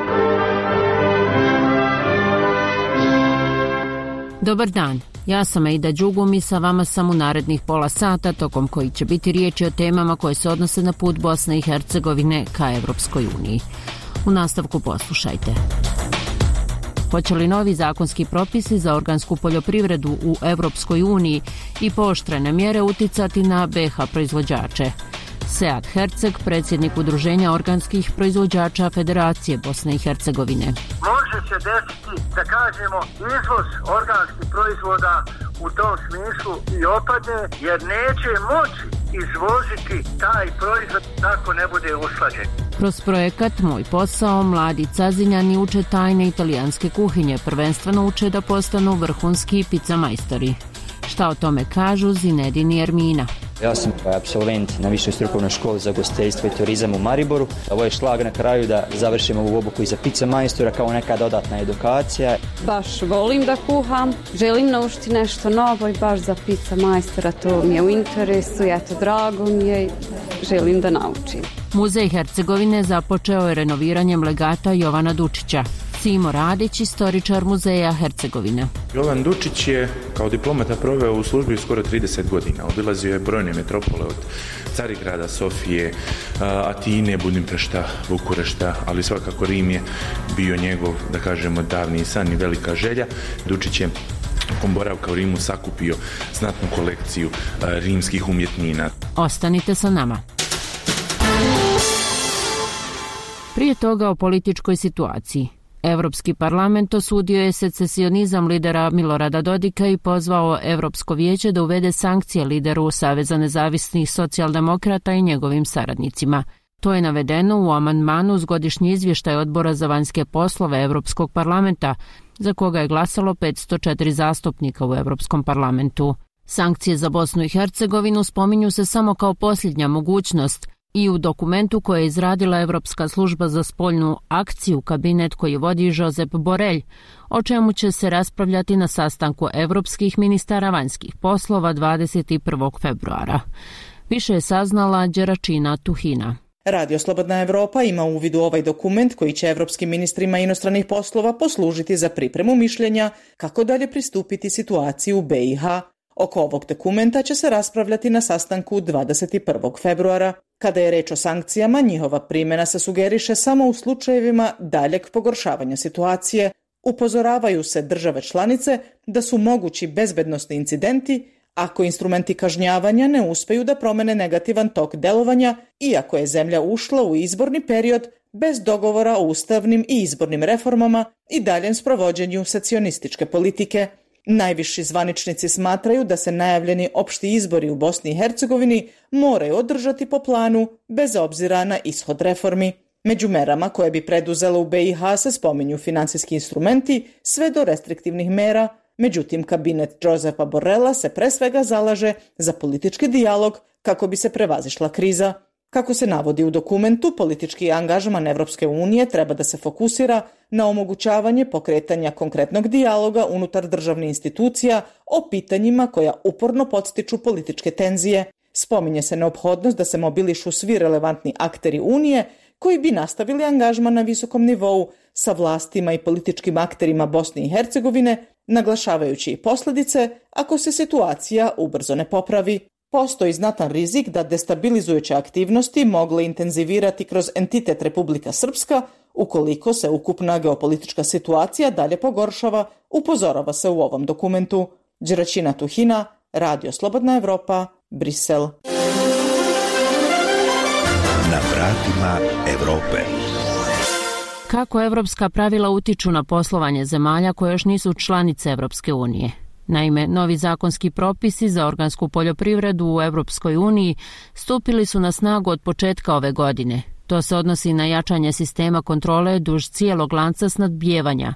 Dobar dan, ja sam Aida Đugum i sa vama sam u narednih pola sata, tokom koji će biti riječi o temama koje se odnose na put Bosne i Hercegovine ka Evropskoj uniji. U nastavku poslušajte. Hoće li novi zakonski propisi za organsku poljoprivredu u Evropskoj uniji i pooštrene mjere uticati na BiH proizvođače? Sead Herceg, predsjednik Udruženja organskih proizvođača Federacije Bosne i Hercegovine. Može se desiti, da kažemo, izvoz organskih proizvoda u tom smislu i opadne, jer neće moći izvoziti taj proizvod ako ne bude usklađen. Kroz projekat Moj posao, mladi Cazinjani uče tajne italijanske kuhinje, prvenstveno uče da postanu vrhunski pizza majstori. Šta o tome kažu Zinedin i Ermina? Ja sam apsolvent na Višoj strukovnoj školi za ugostiteljstvo i turizam u Mariboru. Ovo je šlag na kraju da završimo ovu obuku i za pizza majstora kao neka dodatna edukacija. Baš volim da kuham, želim naučiti nešto novo i baš za pizza majstora to mi je u interesu, eto drago mi je, želim da naučim. Muzej Hercegovine započeo je renoviranjem legata Jovana Dučića. Simo Radić, istoričar Muzeja Hercegovine. Jovan Dučić je kao diplomata proveo u službi skoro 30 godina. Obilazio je brojne metropole od Carigrada, Sofije, Atine, Budimpešta, Bukurešta, ali svakako Rim je bio njegov, da kažemo, davni san i velika želja. Dučić je tokom boravka u Rimu sakupio znatnu kolekciju rimskih umjetnina. Ostanite sa nama. Prije toga o političkoj situaciji. Evropski parlament osudio je secesionizam lidera Milorada Dodika i pozvao Evropsko vijeće da uvede sankcije lideru Saveza nezavisnih socijaldemokrata i njegovim saradnicima. To je navedeno u amandmanu uz godišnji izvještaj Odbora za vanjske poslove Evropskog parlamenta, za koga je glasalo 504 zastupnika u Evropskom parlamentu. Sankcije za Bosnu i Hercegovinu spominju se samo kao posljednja mogućnost i u dokumentu koje je izradila Evropska služba za spoljnu akciju, kabinet koji vodi Josep Borrell, o čemu će se raspravljati na sastanku evropskih ministara vanjskih poslova 21. februara. Više je saznala Đeračina Tuhina. Radio Slobodna Evropa ima uvid u ovaj dokument koji će evropskim ministrima inostranih poslova poslužiti za pripremu mišljenja kako dalje pristupiti situaciji u BiH. Oko ovog dokumenta će se raspravljati na sastanku 21. februara. Kada je reč o sankcijama, njihova primjena se sugeriše samo u slučajevima daljeg pogoršavanja situacije. Upozoravaju se države članice da su mogući bezbednosni incidenti ako instrumenti kažnjavanja ne uspiju da promene negativan tok delovanja, iako je zemlja ušla u izborni period bez dogovora o ustavnim i izbornim reformama i daljem sprovođenju secesionističke politike. Najviši zvaničnici smatraju da se najavljeni opšti izbori u Bosni i Hercegovini moraju održati po planu bez obzira na ishod reformi. Među merama koje bi preduzela u BiH se spominju financijski instrumenti sve do restriktivnih mera, međutim kabinet Josepa Borrella se pre svega zalaže za politički dijalog kako bi se prevazišla kriza. Kako se navodi u dokumentu, politički angažman Evropske unije treba da se fokusira na omogućavanje pokretanja konkretnog dijaloga unutar državnih institucija o pitanjima koja uporno podstiču političke tenzije. Spominje se neophodnost da se mobilišu svi relevantni akteri Unije koji bi nastavili angažman na visokom nivou sa vlastima i političkim akterima Bosne i Hercegovine, naglašavajući i posljedice ako se situacija ubrzo ne popravi. Postoji znatan rizik da destabilizujuće aktivnosti mogle intenzivirati kroz entitet Republika Srpska ukoliko se ukupna geopolitička situacija dalje pogoršava, upozorava se u ovom dokumentu. Đeraćina Tuhina, Radio Slobodna Evropa, Brisel. Na vratima Evrope. Kako evropska pravila utiču na poslovanje zemalja koje još nisu članice Evropske unije? Naime, novi zakonski propisi za organsku poljoprivredu u Evropskoj uniji stupili su na snagu od početka ove godine. To se odnosi na jačanje sistema kontrole duž cijelog lanca snabdijevanja.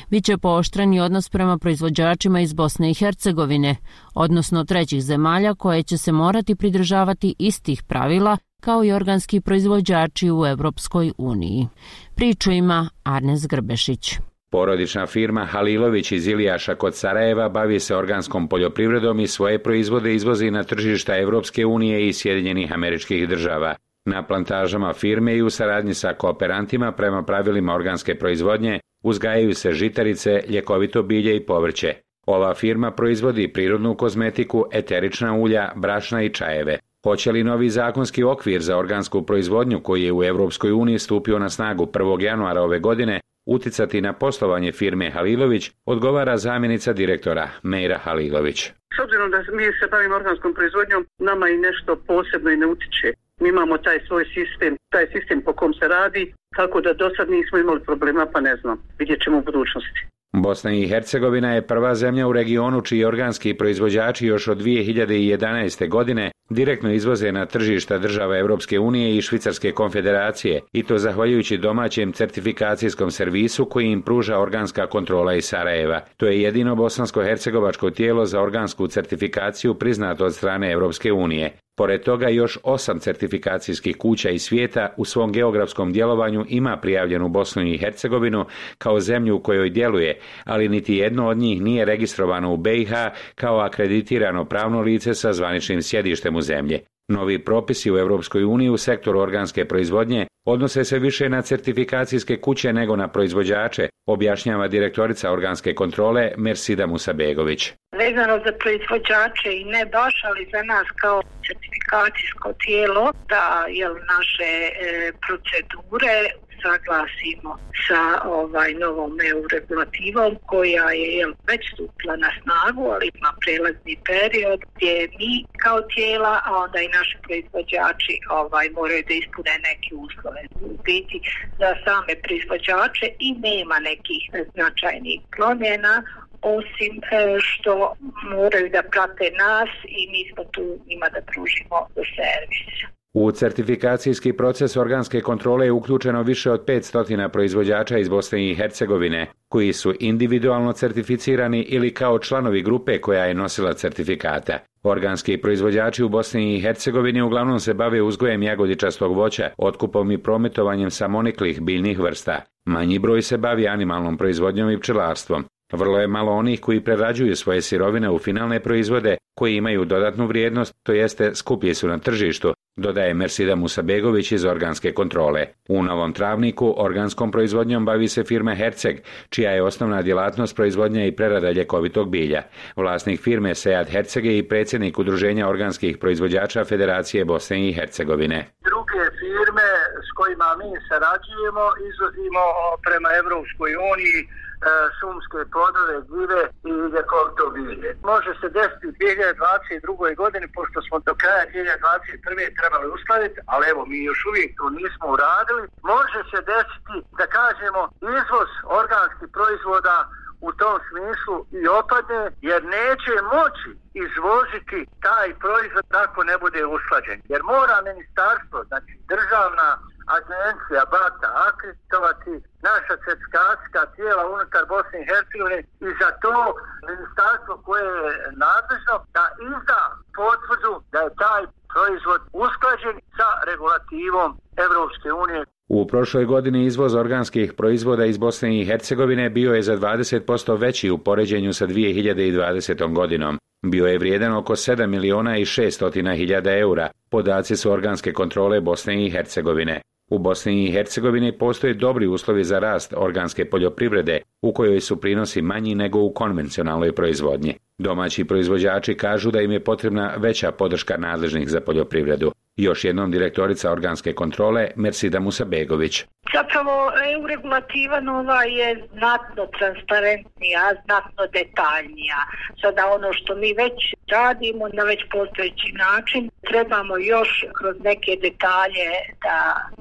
Biće pooštreni odnos prema proizvođačima iz Bosne i Hercegovine, odnosno trećih zemalja koje će se morati pridržavati istih pravila kao i organski proizvođači u Evropskoj uniji. Priču ima Arnes Grbešić. Porodična firma Halilović iz Ilijaša kod Sarajeva bavi se organskom poljoprivredom i svoje proizvode izvozi na tržišta Evropske unije i Sjedinjenih Američkih Država. Na plantažama firme i u saradnji sa kooperantima prema pravilima organske proizvodnje uzgajaju se žitarice, ljekovito bilje i povrće. Ova firma proizvodi prirodnu kozmetiku, eterična ulja, brašna i čajeve. Hoće li novi zakonski okvir za organsku proizvodnju koji je u Evropskoj uniji stupio na snagu 1. januara ove godine uticati na poslovanje firme Halilović, odgovara zamjenica direktora Mejra Halilović. S obzirom da mi se bavimo organskom proizvodnjom, nama i nešto posebno i ne utiče. Mi imamo taj svoj sistem po kom se radi, tako da do sad nismo imali problema, pa ne znam, vidjet ćemo u budućnosti. Bosna i Hercegovina je prva zemlja u regionu čiji organski proizvođači još od 2011. godine direktno izvoze na tržišta država Evropske unije i Švicarske konfederacije, i to zahvaljujući domaćem certifikacijskom servisu koji im pruža organska kontrola iz Sarajeva. To je jedino bosansko-hercegovačko tijelo za organsku certifikaciju priznato od strane Evropske unije. Pored toga još 8 certifikacijskih kuća iz svijeta u svom geografskom djelovanju ima prijavljenu Bosnu i Hercegovinu kao zemlju u kojoj djeluje, ali niti jedno od njih nije registrovano u BiH kao akreditirano pravno lice sa zvaničnim sjedištem u zemlji. Novi propisi u Evropskoj uniji u sektoru organske proizvodnje odnose se više na certifikacijske kuće nego na proizvođače, objašnjava direktorica organske kontrole Mersida Musabegović. Vezano za proizvođače i ne baš, ali za nas kao certifikacijsko tijelo da naše procedure saglasimo sa novom EU regulativom koja je već stupila na snagu, ali ima prelazni period gdje mi kao tijela, a onda i naši proizvođači moraju da ispune neke uslove. U biti za same proizvođače i nema nekih značajnih promjena, osim što moraju da prate nas i mi smo tu njima da pružimo servis. U certifikacijski proces organske kontrole je uključeno više od 500 proizvođača iz Bosne i Hercegovine, koji su individualno certificirani ili kao članovi grupe koja je nosila certifikata. Organski proizvođači u Bosni i Hercegovini uglavnom se bave uzgojem jagodičastog voća, otkupom i prometovanjem samoniklih biljnih vrsta. Manji broj se bavi animalnom proizvodnjom i pčelarstvom. Vrlo je malo onih koji prerađuju svoje sirovine u finalne proizvode koji imaju dodatnu vrijednost, to jeste skuplji su na tržištu, dodaje Mersida Musabegović iz organske kontrole. U Novom Travniku organskom proizvodnjom bavi se firma Herceg, čija je osnovna djelatnost proizvodnja i prerada ljekovitog bilja. Vlasnik firme Sead Herceg je i predsjednik Udruženja organskih proizvođača Federacije Bosne i Hercegovine. Druge firme s kojima mi sarađujemo izvozimo prema Evropskoj uniji šumske plodove, gljive i ljekovito bilje. Može se desiti u 2022. godini, pošto smo do kraja 2021. trebali uskladiti, ali evo mi još uvijek to nismo uradili, može se desiti da kažemo izvoz organskih proizvoda u tom smislu i opadne, jer neće moći izvoziti taj proizvod ako ne bude usklađen. Jer mora ministarstvo, znači državna agencija BATA akreditovati naša certifikacijska tijela unutar Bosne i Hercegovine i za to ministarstvo koje je nadležno da izda potvrdu da je taj proizvod usklađen sa regulativom Evropske unije. U prošloj godini izvoz organskih proizvoda iz Bosne i Hercegovine bio je za 20% veći u poređenju sa 2020. godinom. Bio je vrijedan oko 7.600.000 eura. Podaci su organske kontrole Bosne i Hercegovine. U Bosni i Hercegovini postoje dobri uslovi za rast organske poljoprivrede, u kojoj su prinosi manji nego u konvencionalnoj proizvodnji. Domaći proizvođači kažu da im je potrebna veća podrška nadležnih za poljoprivredu. Još jednom direktorica organske kontrole Mersida Musabegović. Zapravo EU regulativa nova je znatno transparentnija, znatno detaljnija. Sada ono što mi već radimo na već postojeći način, trebamo još kroz neke detalje da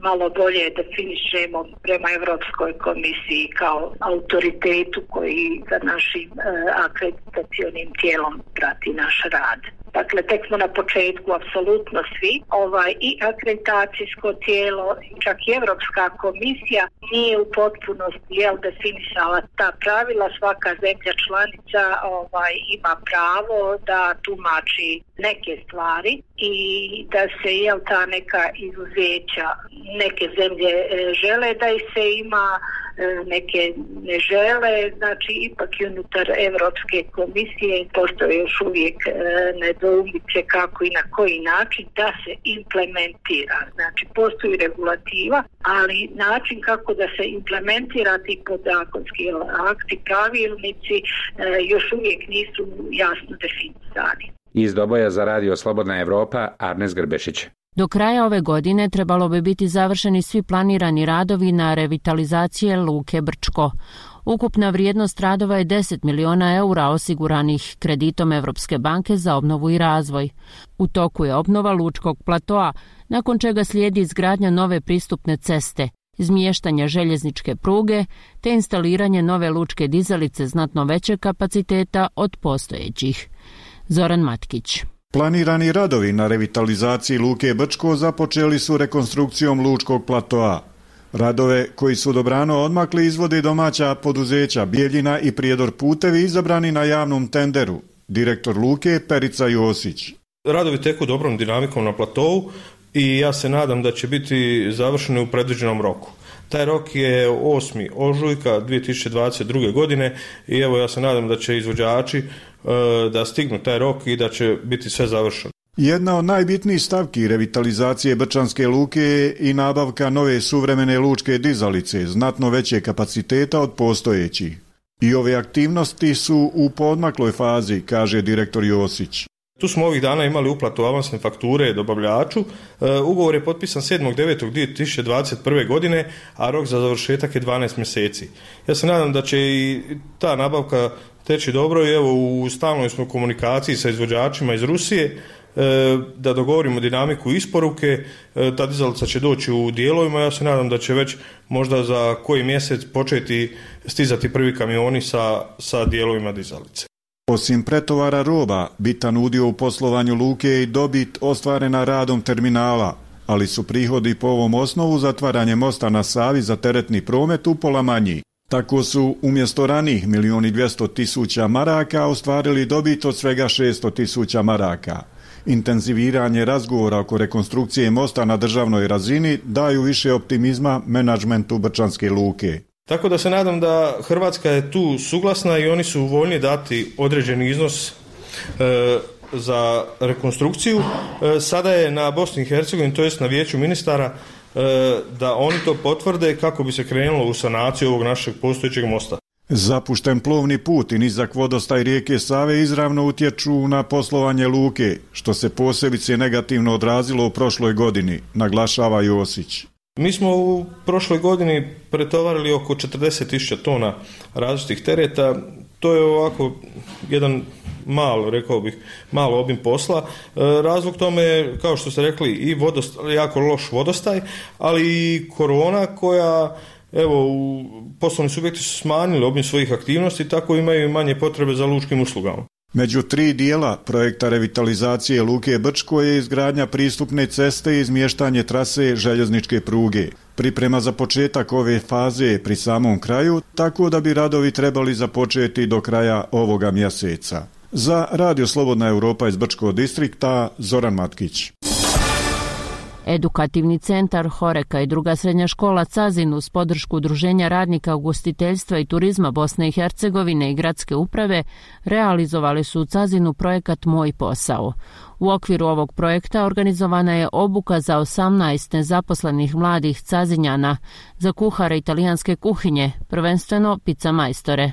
malo bolje definišemo prema Europskoj komisiji kao autoritetu koji za našim akreditacionim tijelom prati naš rad. Dakle, tek smo na početku, apsolutno svi. I akreditacijsko tijelo, čak i Europska komisija nije u potpunosti definisala ta pravila. Svaka zemlja članica ima pravo da tumači neke stvari i da se ta neka izuzeća, neke zemlje žele da ih se ima, neke ne žele, znači ipak i unutar Europske komisije postoje još uvijek nedoumice kako i na koji način da se implementira. Znači postoji regulativa, ali način kako da se implementira ti podzakonski akti, pravilnici još uvijek nisu jasno definisani. Iz Doboja za Radio Slobodna Evropa, Arnes Grbešić. Do kraja ove godine trebalo bi biti završeni svi planirani radovi na revitalizacije Luke Brčko. Ukupna vrijednost radova je 10 miliona eura osiguranih kreditom Evropske banke za obnovu i razvoj. U toku je obnova lučkog platoa, nakon čega slijedi izgradnja nove pristupne ceste, izmještanje željezničke pruge te instaliranje nove lučke dizalice znatno većeg kapaciteta od postojećih. Zoran Matkić. Planirani radovi na revitalizaciji Luke Brčko započeli su rekonstrukcijom lučkog platoa. Radove koji su dobrano odmakli izvode domaća poduzeća Bijeljina i Prijedor putevi izabrani na javnom tenderu. Direktor Luke Perica Josić. Radovi teku dobrom dinamikom na platovu i ja se nadam da će biti završeni u predviđenom roku. Taj rok je 8. ožujka 2022. godine i evo ja se nadam da će izvođači da stignu taj rok i da će biti sve završeno. Jedna od najbitnijih stavki revitalizacije Brčanske luke je i nabavka nove suvremene lučke dizalice, znatno veće kapaciteta od postojećih. I ove aktivnosti su u poodmakloj fazi, kaže direktor Josić. Tu smo ovih dana imali uplatu avansne fakture dobavljaču. Ugovor je potpisan 7.9.2021. godine, a rok za završetak je 12 mjeseci. Ja se nadam da će i ta nabavka teći dobro i evo u stalnoj smo komunikaciji sa izvođačima iz Rusije da dogovorimo dinamiku isporuke. Ta dizalica će doći u dijelovima, ja se nadam da će već možda za koji mjesec početi stizati prvi kamioni sa dijelovima dizalice. Osim pretovara roba, bitan udio u poslovanju luke je i dobit ostvarena radom terminala, ali su prihodi po ovom osnovu zatvaranje mosta na Savi za teretni promet upola manji. Tako su umjesto ranih 1.200.000 maraka ostvarili dobit od svega 600.000 maraka. Intenziviranje razgovora oko rekonstrukcije mosta na državnoj razini daju više optimizma menadžmentu Brčanske luke. Tako da se nadam da Hrvatska je tu suglasna i oni su voljni dati određeni iznos za rekonstrukciju. Sada je na Bosni i Hercegovini, to jest na Vijeću ministara, da oni to potvrde kako bi se krenulo u sanaciju ovog našeg postojećeg mosta. Zapušten plovni put i nizak vodostaj rijeke Save izravno utječu na poslovanje luke, što se posebice negativno odrazilo u prošloj godini, naglašava Josić. Mi smo u prošloj godini pretovarili oko 40.000 tona različitih tereta. To je ovako jedan malo obim posla. Razlog tome je, kao što ste rekli, i jako loš vodostaj, ali i korona koja evo, poslovni subjekti su smanjili obim svojih aktivnosti, tako imaju manje potrebe za lučkim uslugama. Među 3 dijela projekta revitalizacije Luke Brčko je izgradnja pristupne ceste i izmještanje trase željezničke pruge. Priprema za početak ove faze je pri samom kraju, tako da bi radovi trebali započeti do kraja ovoga mjeseca. Za Radio Slobodna Europa iz Brčkog distrikta, Zoran Matkić. Edukativni centar Horeka i druga srednja škola Cazin uz podršku Udruženja radnika ugostiteljstva i turizma Bosne i Hercegovine i gradske uprave realizovali su u Cazinu projekat Moj posao. U okviru ovog projekta organizovana je obuka za 18 nezaposlenih mladih Cazinjana za kuhare italijanske kuhinje, prvenstveno pica majstore.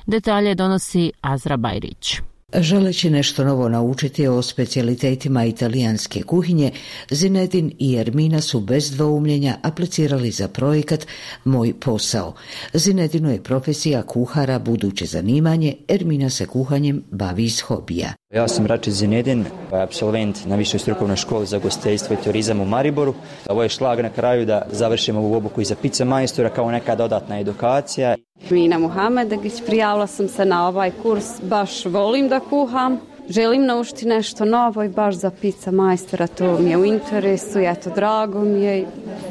Detalje donosi Azra Bajrić. Želeći nešto novo naučiti o specijalitetima italijanske kuhinje, Zinedin i Ermina su bez dvoumljenja aplicirali za projekat Moj posao. Zinedinu je profesija kuhara buduće zanimanje, Ermina se kuhanjem bavi iz hobija. Ja sam Rači Zinedin, apsolvent na Višoj strukovnoj školi za ugostiteljstvo i turizam u Mariboru. Ovo je šlag na kraju da završimo ovu obuku i za pica majstora kao neka dodatna edukacija. Mina Muhamedagić, prijavila sam se na ovaj kurs, baš volim da kuham. Želim naučiti nešto novo i baš za pica majstora, to mi je u interesu, eto drago mi je i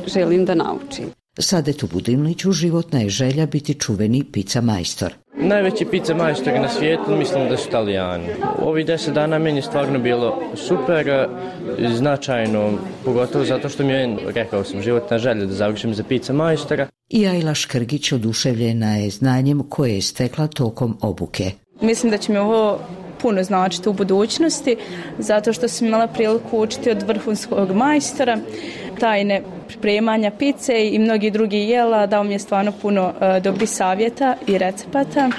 želim da naučim. Sadetu Budimliću životna je želja biti čuveni pica majstor. Najveći pica majstori na svijetu mislim da su Italijani. Ovih 10 dana meni je stvarno bilo super, značajno, pogotovo zato što mi je, rekao sam, životna želja da završim za pica majstora. I Ajla Škrgić oduševljena je znanjem koje je stekla tokom obuke. Mislim da će mi ovo puno značiti u budućnosti, zato što sam imala priliku učiti od vrhunskog majstora, tajne pripremanja pice i mnogi drugi jela, dao mi je stvarno puno dobrih savjeta i recepata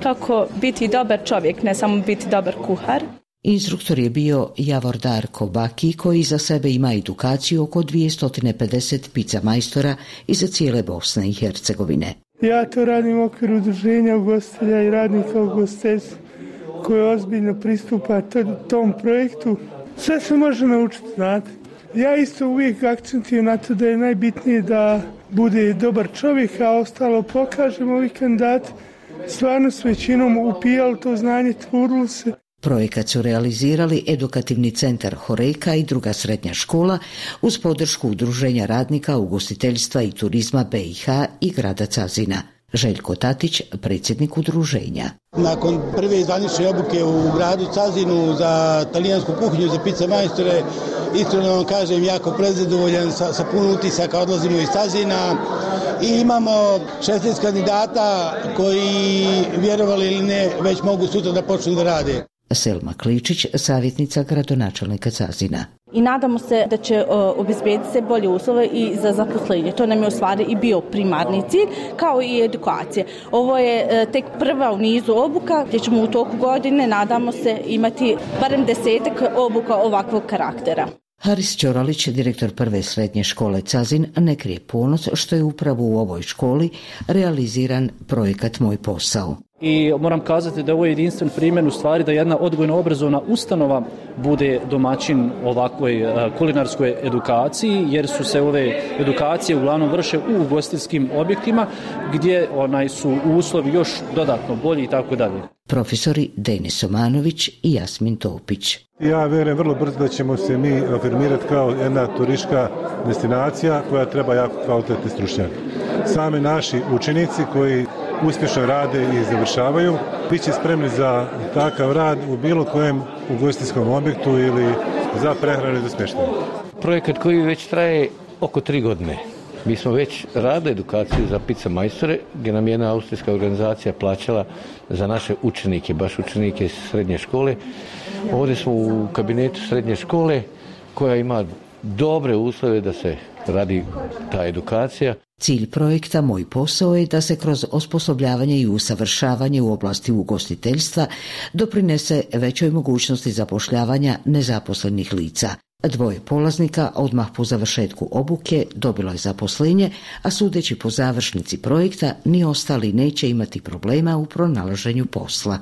kako biti dobar čovjek, ne samo biti dobar kuhar. Instruktor je bio Javor Darko Baki, koji za sebe ima edukaciju oko 250 pica majstora iza cijele Bosne i Hercegovine. Ja to radim u okviru udruženja ugostitelja i radnika ugostiteljstva koje ozbiljno pristupa tom projektu. Sve se može naučiti, znate. Ja isto uvijek akcentujem na to da je najbitnije da bude dobar čovjek, a ostalo pokažemo ovi kandidati. Stvarno s većinom upijali to znanje, trudili se. Projekat su realizirali Edukativni centar Horeka i druga srednja škola uz podršku Udruženja radnika ugostiteljstva i turizma BiH i grada Cazina. Željko Tatić, predsjednik udruženja. Nakon prve zvanične obuke u gradu Cazinu za talijansku kuhinju, za pica majstore, iskreno vam kažem, jako prezadovoljan, sa puno utisaka odlazimo iz Cazina i imamo 16 kandidata koji, vjerovali ili ne, već mogu sutra da počnu da rade. Selma Kličić, savjetnica gradonačelnika Cazina. I nadamo se da će obezbediti se bolje uslove i za zaposlenje. To nam je u stvari i bio primarni cilj, kao i edukacija. Ovo je tek prva u nizu obuka, gdje ćemo u toku godine, nadamo se, imati barem 10 obuka ovakvog karaktera. Haris Ćoralić, direktor prve srednje škole Cazin, ne krije ponos što je upravo u ovoj školi realiziran projekat Moj posao. I moram kazati da ovo je jedinstven primjer u stvari da jedna odgojno-obrazovna ustanova bude domaćin ovakvoj kulinarskoj edukaciji, jer su se ove edukacije uglavnom vrše u ugostiteljskim objektima gdje su uslovi još dodatno bolji i tako dalje. Profesori Denis Omanović i Jasmin Topić. Ja vjerujem vrlo brzo da ćemo se mi afirmirati kao jedna turistička destinacija koja treba jako kvalitetni stručnjak. Sami naši učenici koji uspješno rade i završavaju, bit će spremni za takav rad u bilo kojem ugostiteljskom objektu ili za prehranu i za smještaj. Projekat koji već traje oko 3 godine. Mi smo već radili edukaciju za pica majstore, gdje nam jedna austrijska organizacija plaćala za naše učenike, baš učenike iz srednje škole. Ovdje smo u kabinetu srednje škole koja ima dobre uslove da se radi ta edukacija. Cilj projekta Moj posao je da se kroz osposobljavanje i usavršavanje u oblasti ugostiteljstva doprinese većoj mogućnosti zapošljavanja nezaposlenih lica. 2 polaznika odmah po završetku obuke dobilo je zaposlenje, a sudeći po završnici projekta ni ostali neće imati problema u pronalaženju posla.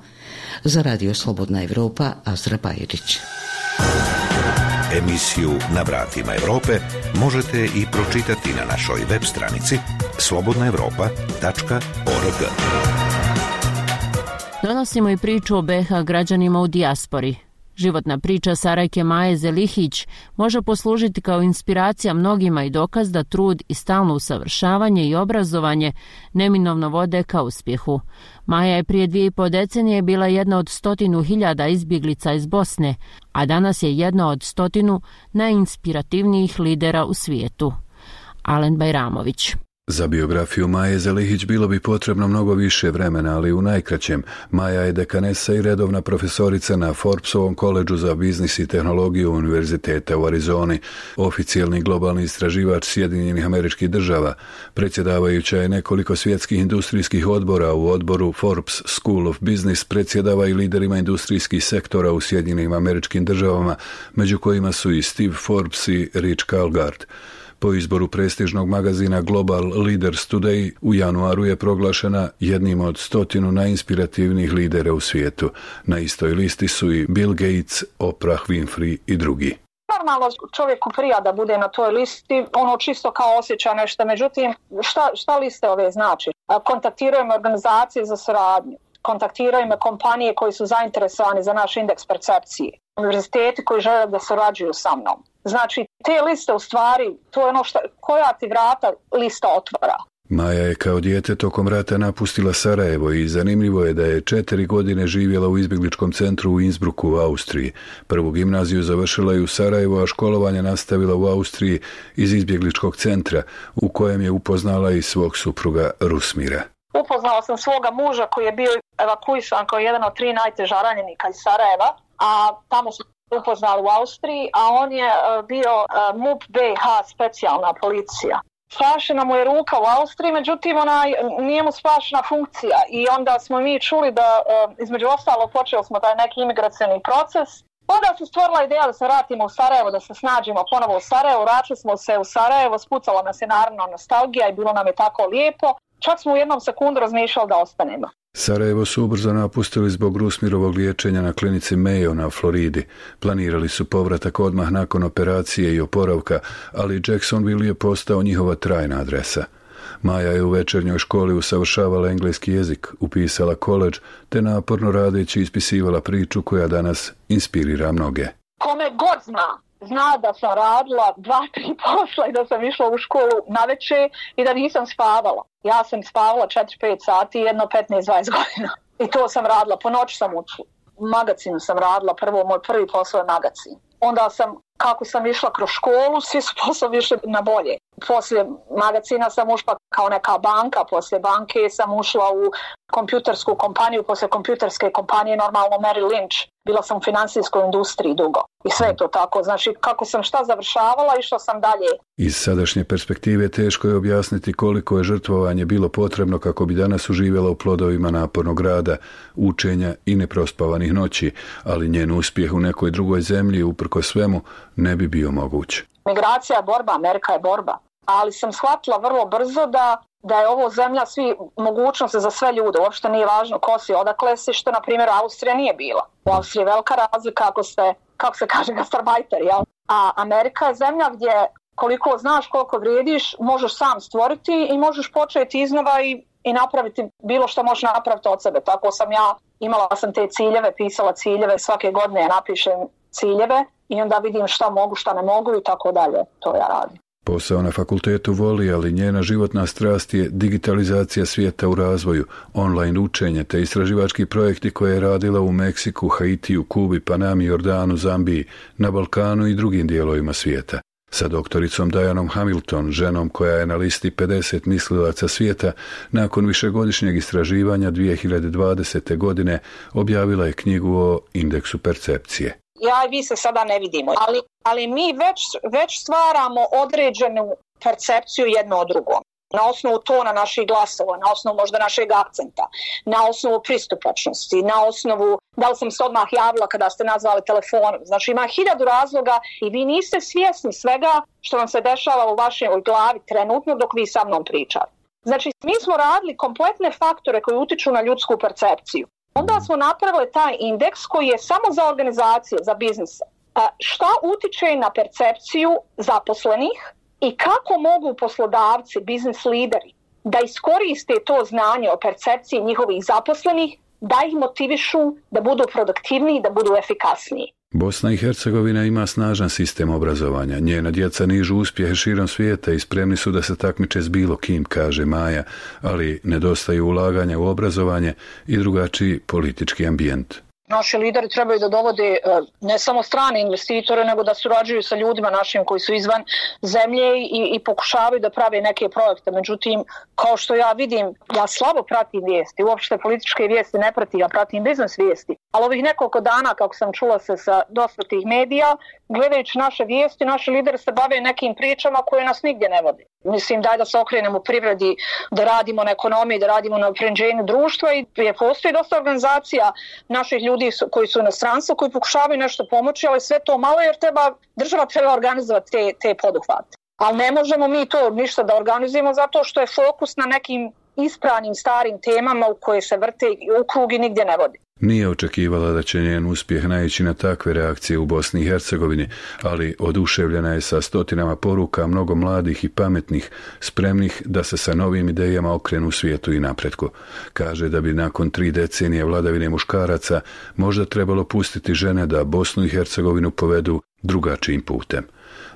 Za Radio Slobodna Europa, Azra Bajrić. Emisiju Na vratima Europe možete i pročitati na našoj web stranici slobodnaevropa.org. Donosimo i priču o BiH građanima u dijaspori. Životna priča Sarajke Maje Zelihić može poslužiti kao inspiracija mnogima i dokaz da trud i stalno usavršavanje i obrazovanje neminovno vode ka uspjehu. Maja je prije 2,5 decenije bila jedna od 100.000 izbjeglica iz Bosne, a danas je jedna od 100 najinspirativnijih lidera u svijetu. Alen Bajramović. Za biografiju Maje Zelihić bilo bi potrebno mnogo više vremena, ali u najkraćem. Maja je dekanesa i redovna profesorica na Forbesovom koledžu za biznis i tehnologiju Univerziteta u Arizoni, oficijalni globalni istraživač Sjedinjenih Američkih Država. Predsjedavajuća je nekoliko svjetskih industrijskih odbora. U odboru Forbes School of Business predsjedava i liderima industrijskih sektora u Sjedinjenim Američkim Državama, među kojima su i Steve Forbes i Rich Kalgard. Po izboru prestižnog magazina Global Leaders Today u januaru je proglašena jednim od 100 najinspirativnijih lidera u svijetu. Na istoj listi su i Bill Gates, Oprah Winfrey i drugi. Normalno čovjeku prija da bude na toj listi, ono čisto kao osjeća nešto, međutim šta liste ove znači? Kontaktiraju me organizacije za suradnju, kontaktiraju me kompanije koji su zainteresovani za naš indeks percepcije, univerziteti koji žele da surađuju sa mnom. Znači, te liste u stvari, to je ono koja ti vrata lista otvara. Maja je kao dijete tokom rata napustila Sarajevo i zanimljivo je da je 4 godine živjela u izbjegličkom centru u Innsbrucku u Austriji. Prvu gimnaziju završila je u Sarajevu, a školovanje nastavila u Austriji iz izbjegličkog centra, u kojem je upoznala i svog supruga Rusmira. Upoznala sam svoga muža koji je bio evakuisan kao jedan od 3 najteža ranjenika iz Sarajeva, a tamo su upoznali u Austriji, a on je bio MUP BiH specijalna policija. Spašena mu je ruka u Austriji, međutim nije mu spašena funkcija i onda smo mi čuli da između ostalo počeli smo taj neki imigracioni proces. Onda se stvorila ideja da se vratimo u Sarajevo, da se snađimo ponovo u Sarajevo, vratili smo se u Sarajevo, spucala nas je naravno nostalgija i bilo nam je tako lijepo. Čak smo u jednom sekundu razmišljali da ostanemo. Sarajevo su ubrzo napustili zbog Rusmirovog liječenja na klinici Mayo na Floridi. Planirali su povratak odmah nakon operacije i oporavka, ali Jacksonville je postao njihova trajna adresa. Maja je u večernjoj školi usavršavala engleski jezik, upisala koledž, te naporno radeći ispisivala priču koja danas inspirira mnoge. Kome god zna da sam radila 2-3 posla i da sam išla u školu navečer i da nisam spavala. Ja sam spavala 4-5 sati, jedno 15-20 godina. I to sam radila, po noći sam učila. U magazinu sam radila, moj prvi posao je magazin. Onda kako sam išla kroz školu, svi su poslovi išli na bolje. Poslije magazina sam ušla kao neka banka, poslije banke sam ušla u kompjutersku kompaniju, poslije kompjuterske kompanije normalno Merrill Lynch. Bila sam u financijskoj industriji dugo. I sve je to tako. Znači, kako sam šta završavala, išla sam dalje. Iz sadašnje perspektive teško je objasniti koliko je žrtvovanje bilo potrebno kako bi danas uživjela u plodovima napornog rada, učenja i neprospavanih noći, ali njen uspjeh u nekoj drugoj zemlji, uprkos svemu, ne bi bio moguć. Migracija je borba, Amerika je borba. Ali sam shvatila vrlo brzo da je ovo zemlja svi mogućnosti za sve ljude. Uopšte nije važno ko si, odakle si, što na primjer Austrija nije bila. U Austriji je velika razlika kako se kaže gastarbajter, jel? A Amerika je zemlja gdje koliko znaš, koliko vrijediš, možeš sam stvoriti i možeš početi iznova i napraviti bilo što možeš napraviti od sebe. Tako sam imala sam te ciljeve, pisala ciljeve, svake godine ja napišem ciljeve i onda vidim šta mogu, šta ne mogu i tako dalje. To ja radim. Posao na fakultetu voli, ali njena životna strast je digitalizacija svijeta u razvoju, online učenje te istraživački projekti koje je radila u Meksiku, Haitiju, Kubi, Panami, Jordanu, Zambiji, na Balkanu i drugim dijelovima svijeta. Sa doktoricom Dianom Hamilton, ženom koja je na listi 50 mislilaca svijeta, nakon višegodišnjeg istraživanja 2020. godine objavila je knjigu o indeksu percepcije. Ja i vi se sada ne vidimo, ali mi već stvaramo određenu percepciju jedno od drugom. Na osnovu tona naših glasova, na osnovu možda našeg akcenta, na osnovu pristupačnosti, na osnovu da li sam se odmah javila kada ste nazvali telefonom. Znači ima 1000 razloga i vi niste svjesni svega što vam se dešava u vašoj glavi trenutno dok vi sa mnom pričate. Znači mi smo radili kompletne faktore koji utiču na ljudsku percepciju. Onda smo napravili taj indeks koji je samo za organizacije, za biznise. Šta utiče na percepciju zaposlenih i kako mogu poslodavci, biznis lideri da iskoriste to znanje o percepciji njihovih zaposlenih, da ih motivišu da budu produktivniji, da budu efikasniji. Bosna i Hercegovina ima snažan sistem obrazovanja. Njena djeca nižu uspjehe širom svijeta i spremni su da se takmiče s bilo kim, kaže Maja, ali nedostaje ulaganja u obrazovanje i drugačiji politički ambijent. Naši lideri trebaju da dovode ne samo strane investitore, nego da surađuju sa ljudima našim koji su izvan zemlje i pokušavaju da prave neke projekte. Međutim, kao što ja vidim, ja slabo pratim vijesti, uopšte političke vijesti ne pratim, ja pratim biznis vijesti. Ali ovih nekoliko dana, kako sam čula se sa dosta tih medija, gledajući naše vijesti, naši lideri se bave nekim pričama koje nas nigdje ne vode. Mislim, daj da se okrenemo privredi, da radimo na ekonomiji, da radimo na unapređenju društva i postoji dosta organizacija naših ljudi koji su u inostranstvu, koji pokušavaju nešto pomoći, ali sve to malo jer država treba organizovati te poduhvate. Ali ne možemo mi to ništa da organizujemo zato što je fokus na nekim ispravnim starim temama u koje se vrte u krug i nigdje ne vodi. Nije očekivala da će njen uspjeh naići na takve reakcije u Bosni i Hercegovini, ali oduševljena je sa stotinama poruka mnogo mladih i pametnih, spremnih da se sa novim idejama okrenu u svijetu i napretku. Kaže da bi nakon 3 decenije vladavine muškaraca možda trebalo pustiti žene da Bosnu i Hercegovinu povedu drugačijim putem.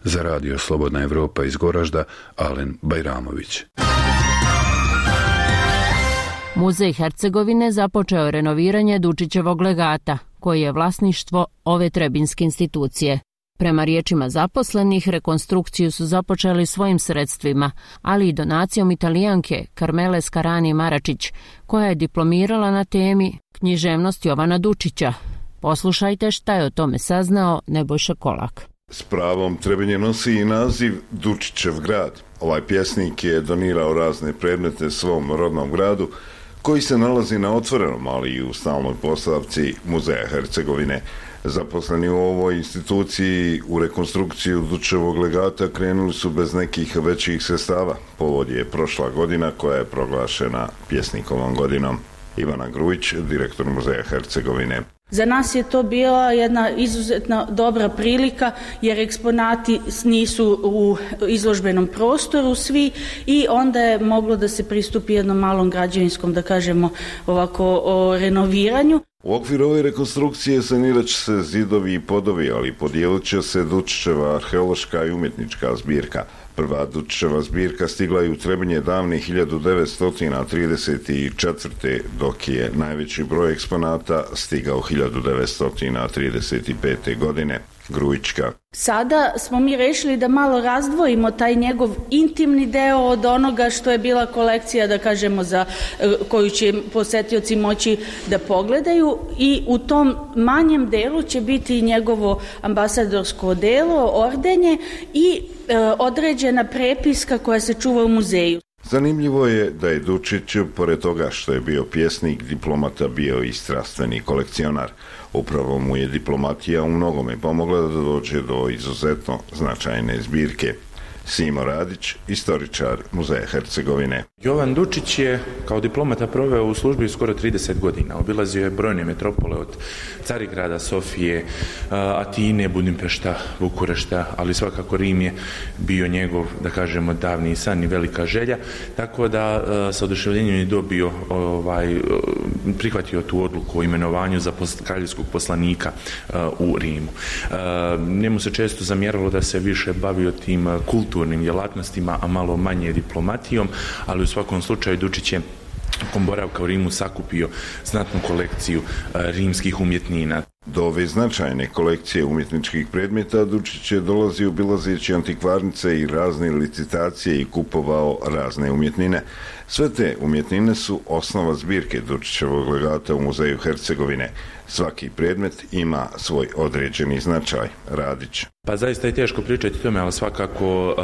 Za radio Slobodna Evropa iz Goražda, Alen Bajramović. Muzej Hercegovine započeo je renoviranje Dučićevog legata, koji je vlasništvo ove trebinske institucije. Prema riječima zaposlenih, rekonstrukciju su započeli svojim sredstvima, ali i donacijom Italijanke Karmele Skarani Maračić, koja je diplomirala na temi književnost Jovana Dučića. Poslušajte šta je o tome saznao Nebojša Kolak. S pravom Trebinje nosi i naziv Dučićev grad. Ovaj pjesnik je donirao razne predmete svom rodnom gradu, koji se nalazi na otvorenom, ali i u stalnoj postavci Muzeja Hercegovine. Zaposleni u ovoj instituciji u rekonstrukciju Dučićevog legata krenuli su bez nekih većih sredstava. Povod je prošla godina koja je proglašena pjesnikovom godinom. Ivana Grujić, direktor Muzeja Hercegovine. Za nas je to bila jedna izuzetno dobra prilika jer eksponati nisu u izložbenom prostoru svi i onda je moglo da se pristupi jednom malom građevinskom, da kažemo ovako, o renoviranju. U okviru ove rekonstrukcije sanirat će se zidovi i podovi, ali podijelit će se Dučićeva arheološka i umjetnička zbirka. Prva Dučićeva zbirka stigla je u Trebinje davne 1934. dok je najveći broj eksponata stigao 1935. godine. Grujićka. Sada smo mi rešili da malo razdvojimo taj njegov intimni deo od onoga što je bila kolekcija, da kažemo, za koju će posetioci moći da pogledaju i u tom manjem delu će biti njegovo ambasadorsko delo, ordenje i određena prepiska koja se čuva u muzeju. Zanimljivo je da je Dučić, pored toga što je bio pjesnik, diplomata, bio i strastveni kolekcionar. Upravo mu je diplomatija u mnogome pomogla da dođe do izuzetno značajne zbirke. Simo Radić, istoričar Muzeja Hercegovine. Jovan Dučić je kao diplomata proveo u službi skoro 30 godina. Obilazio je brojne metropole od Carigrada, Sofije, Atine, Budimpešta, Bukurešta, ali svakako Rim je bio njegov, da kažemo, davni san i velika želja, tako da sa oduševljenjem je dobio, prihvatio tu odluku o imenovanju za kraljevskog poslanika u Rimu. Njemu se često zamjeralo da se više bavio tim kulturnim djelatnostima, a malo manje diplomatijom, ali u svakom slučaju Dučić je tokom boravka u Rimu sakupio znatnu kolekciju rimskih umjetnina. Do ove značajne kolekcije umjetničkih predmeta Dučić je dolazio obilazeći antikvarnice i razne licitacije i kupovao razne umjetnine. Sve te umjetnine su osnova zbirke Dučićevog legata u Muzeju Hercegovine. Svaki predmet ima svoj određeni značaj. Radić. Pa zaista je teško pričati o tome, ali svakako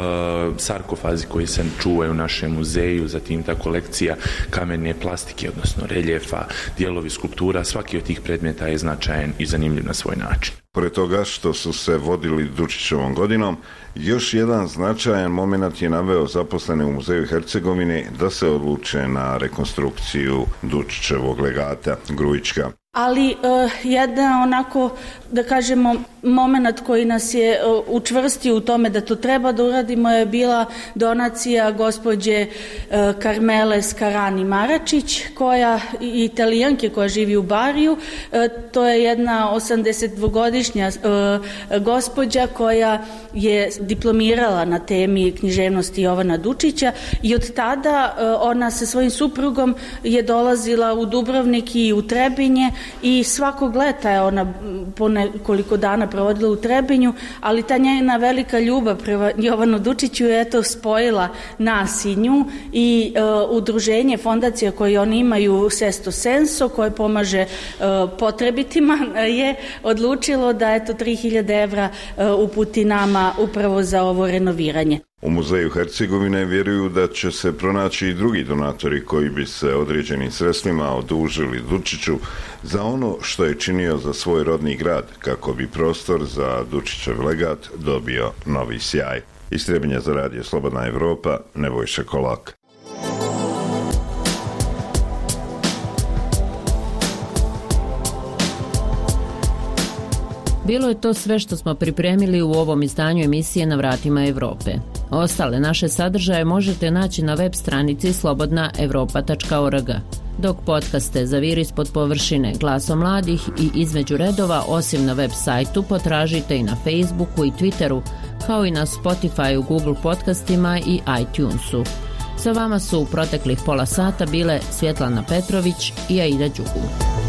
sarkofazi koji se čuvaju u našem muzeju, zatim ta kolekcija kamene plastike, odnosno reljefa, dijelovi skulptura, svaki od tih predmeta je značajan i zanimljiv na svoj način. Pored toga što su se vodili Dučićevom godinom, još jedan značajan moment je naveo zaposlene u Muzeju Hercegovine da se odluče na rekonstrukciju Dučićevog legata. Grujićka. ali jedna onako, da kažemo, moment koji nas je učvrstio u tome da to treba da uradimo je bila donacija gospođe Karmele Skarani Maračić, koja Italijanke koja živi u Bariju. To je jedna 82-godišnja gospođa koja je diplomirala na temi književnosti Jovana Dučića i od tada ona sa svojim suprugom je dolazila u Dubrovnik i u Trebinje i svakog leta je ona po nekoliko dana provodila u Trebinju, ali ta njena velika ljubav prema Jovanu Dučiću je eto spojila nas i nju i udruženje, fondacija koje oni imaju Sesto Senso, koje pomaže potrebitima, je odlučilo da eto 3000 evra uputi nama upravo za ovo renoviranje. U Muzeju Hercegovine vjeruju da će se pronaći i drugi donatori koji bi se određenim sredstvima odužili Dučiću za ono što je činio za svoj rodni grad, kako bi prostor za Dučićev legat dobio novi sjaj. Iz Trebinja za radio Slobodna Evropa, Nebojša Kolak. Bilo je to sve što smo pripremili u ovom izdanju emisije Na vratima Evrope. Ostale naše sadržaje možete naći na web stranici slobodnaevropa.org. Dok podcaste Zaviri ispod površine, Glasom mladih i Između redova, osim na web sajtu, potražite i na Facebooku i Twitteru, kao i na Spotifyu, Google podcastima i iTunesu. Sa vama su u proteklih pola sata bile Svjetlana Petrović i Aida Đugu.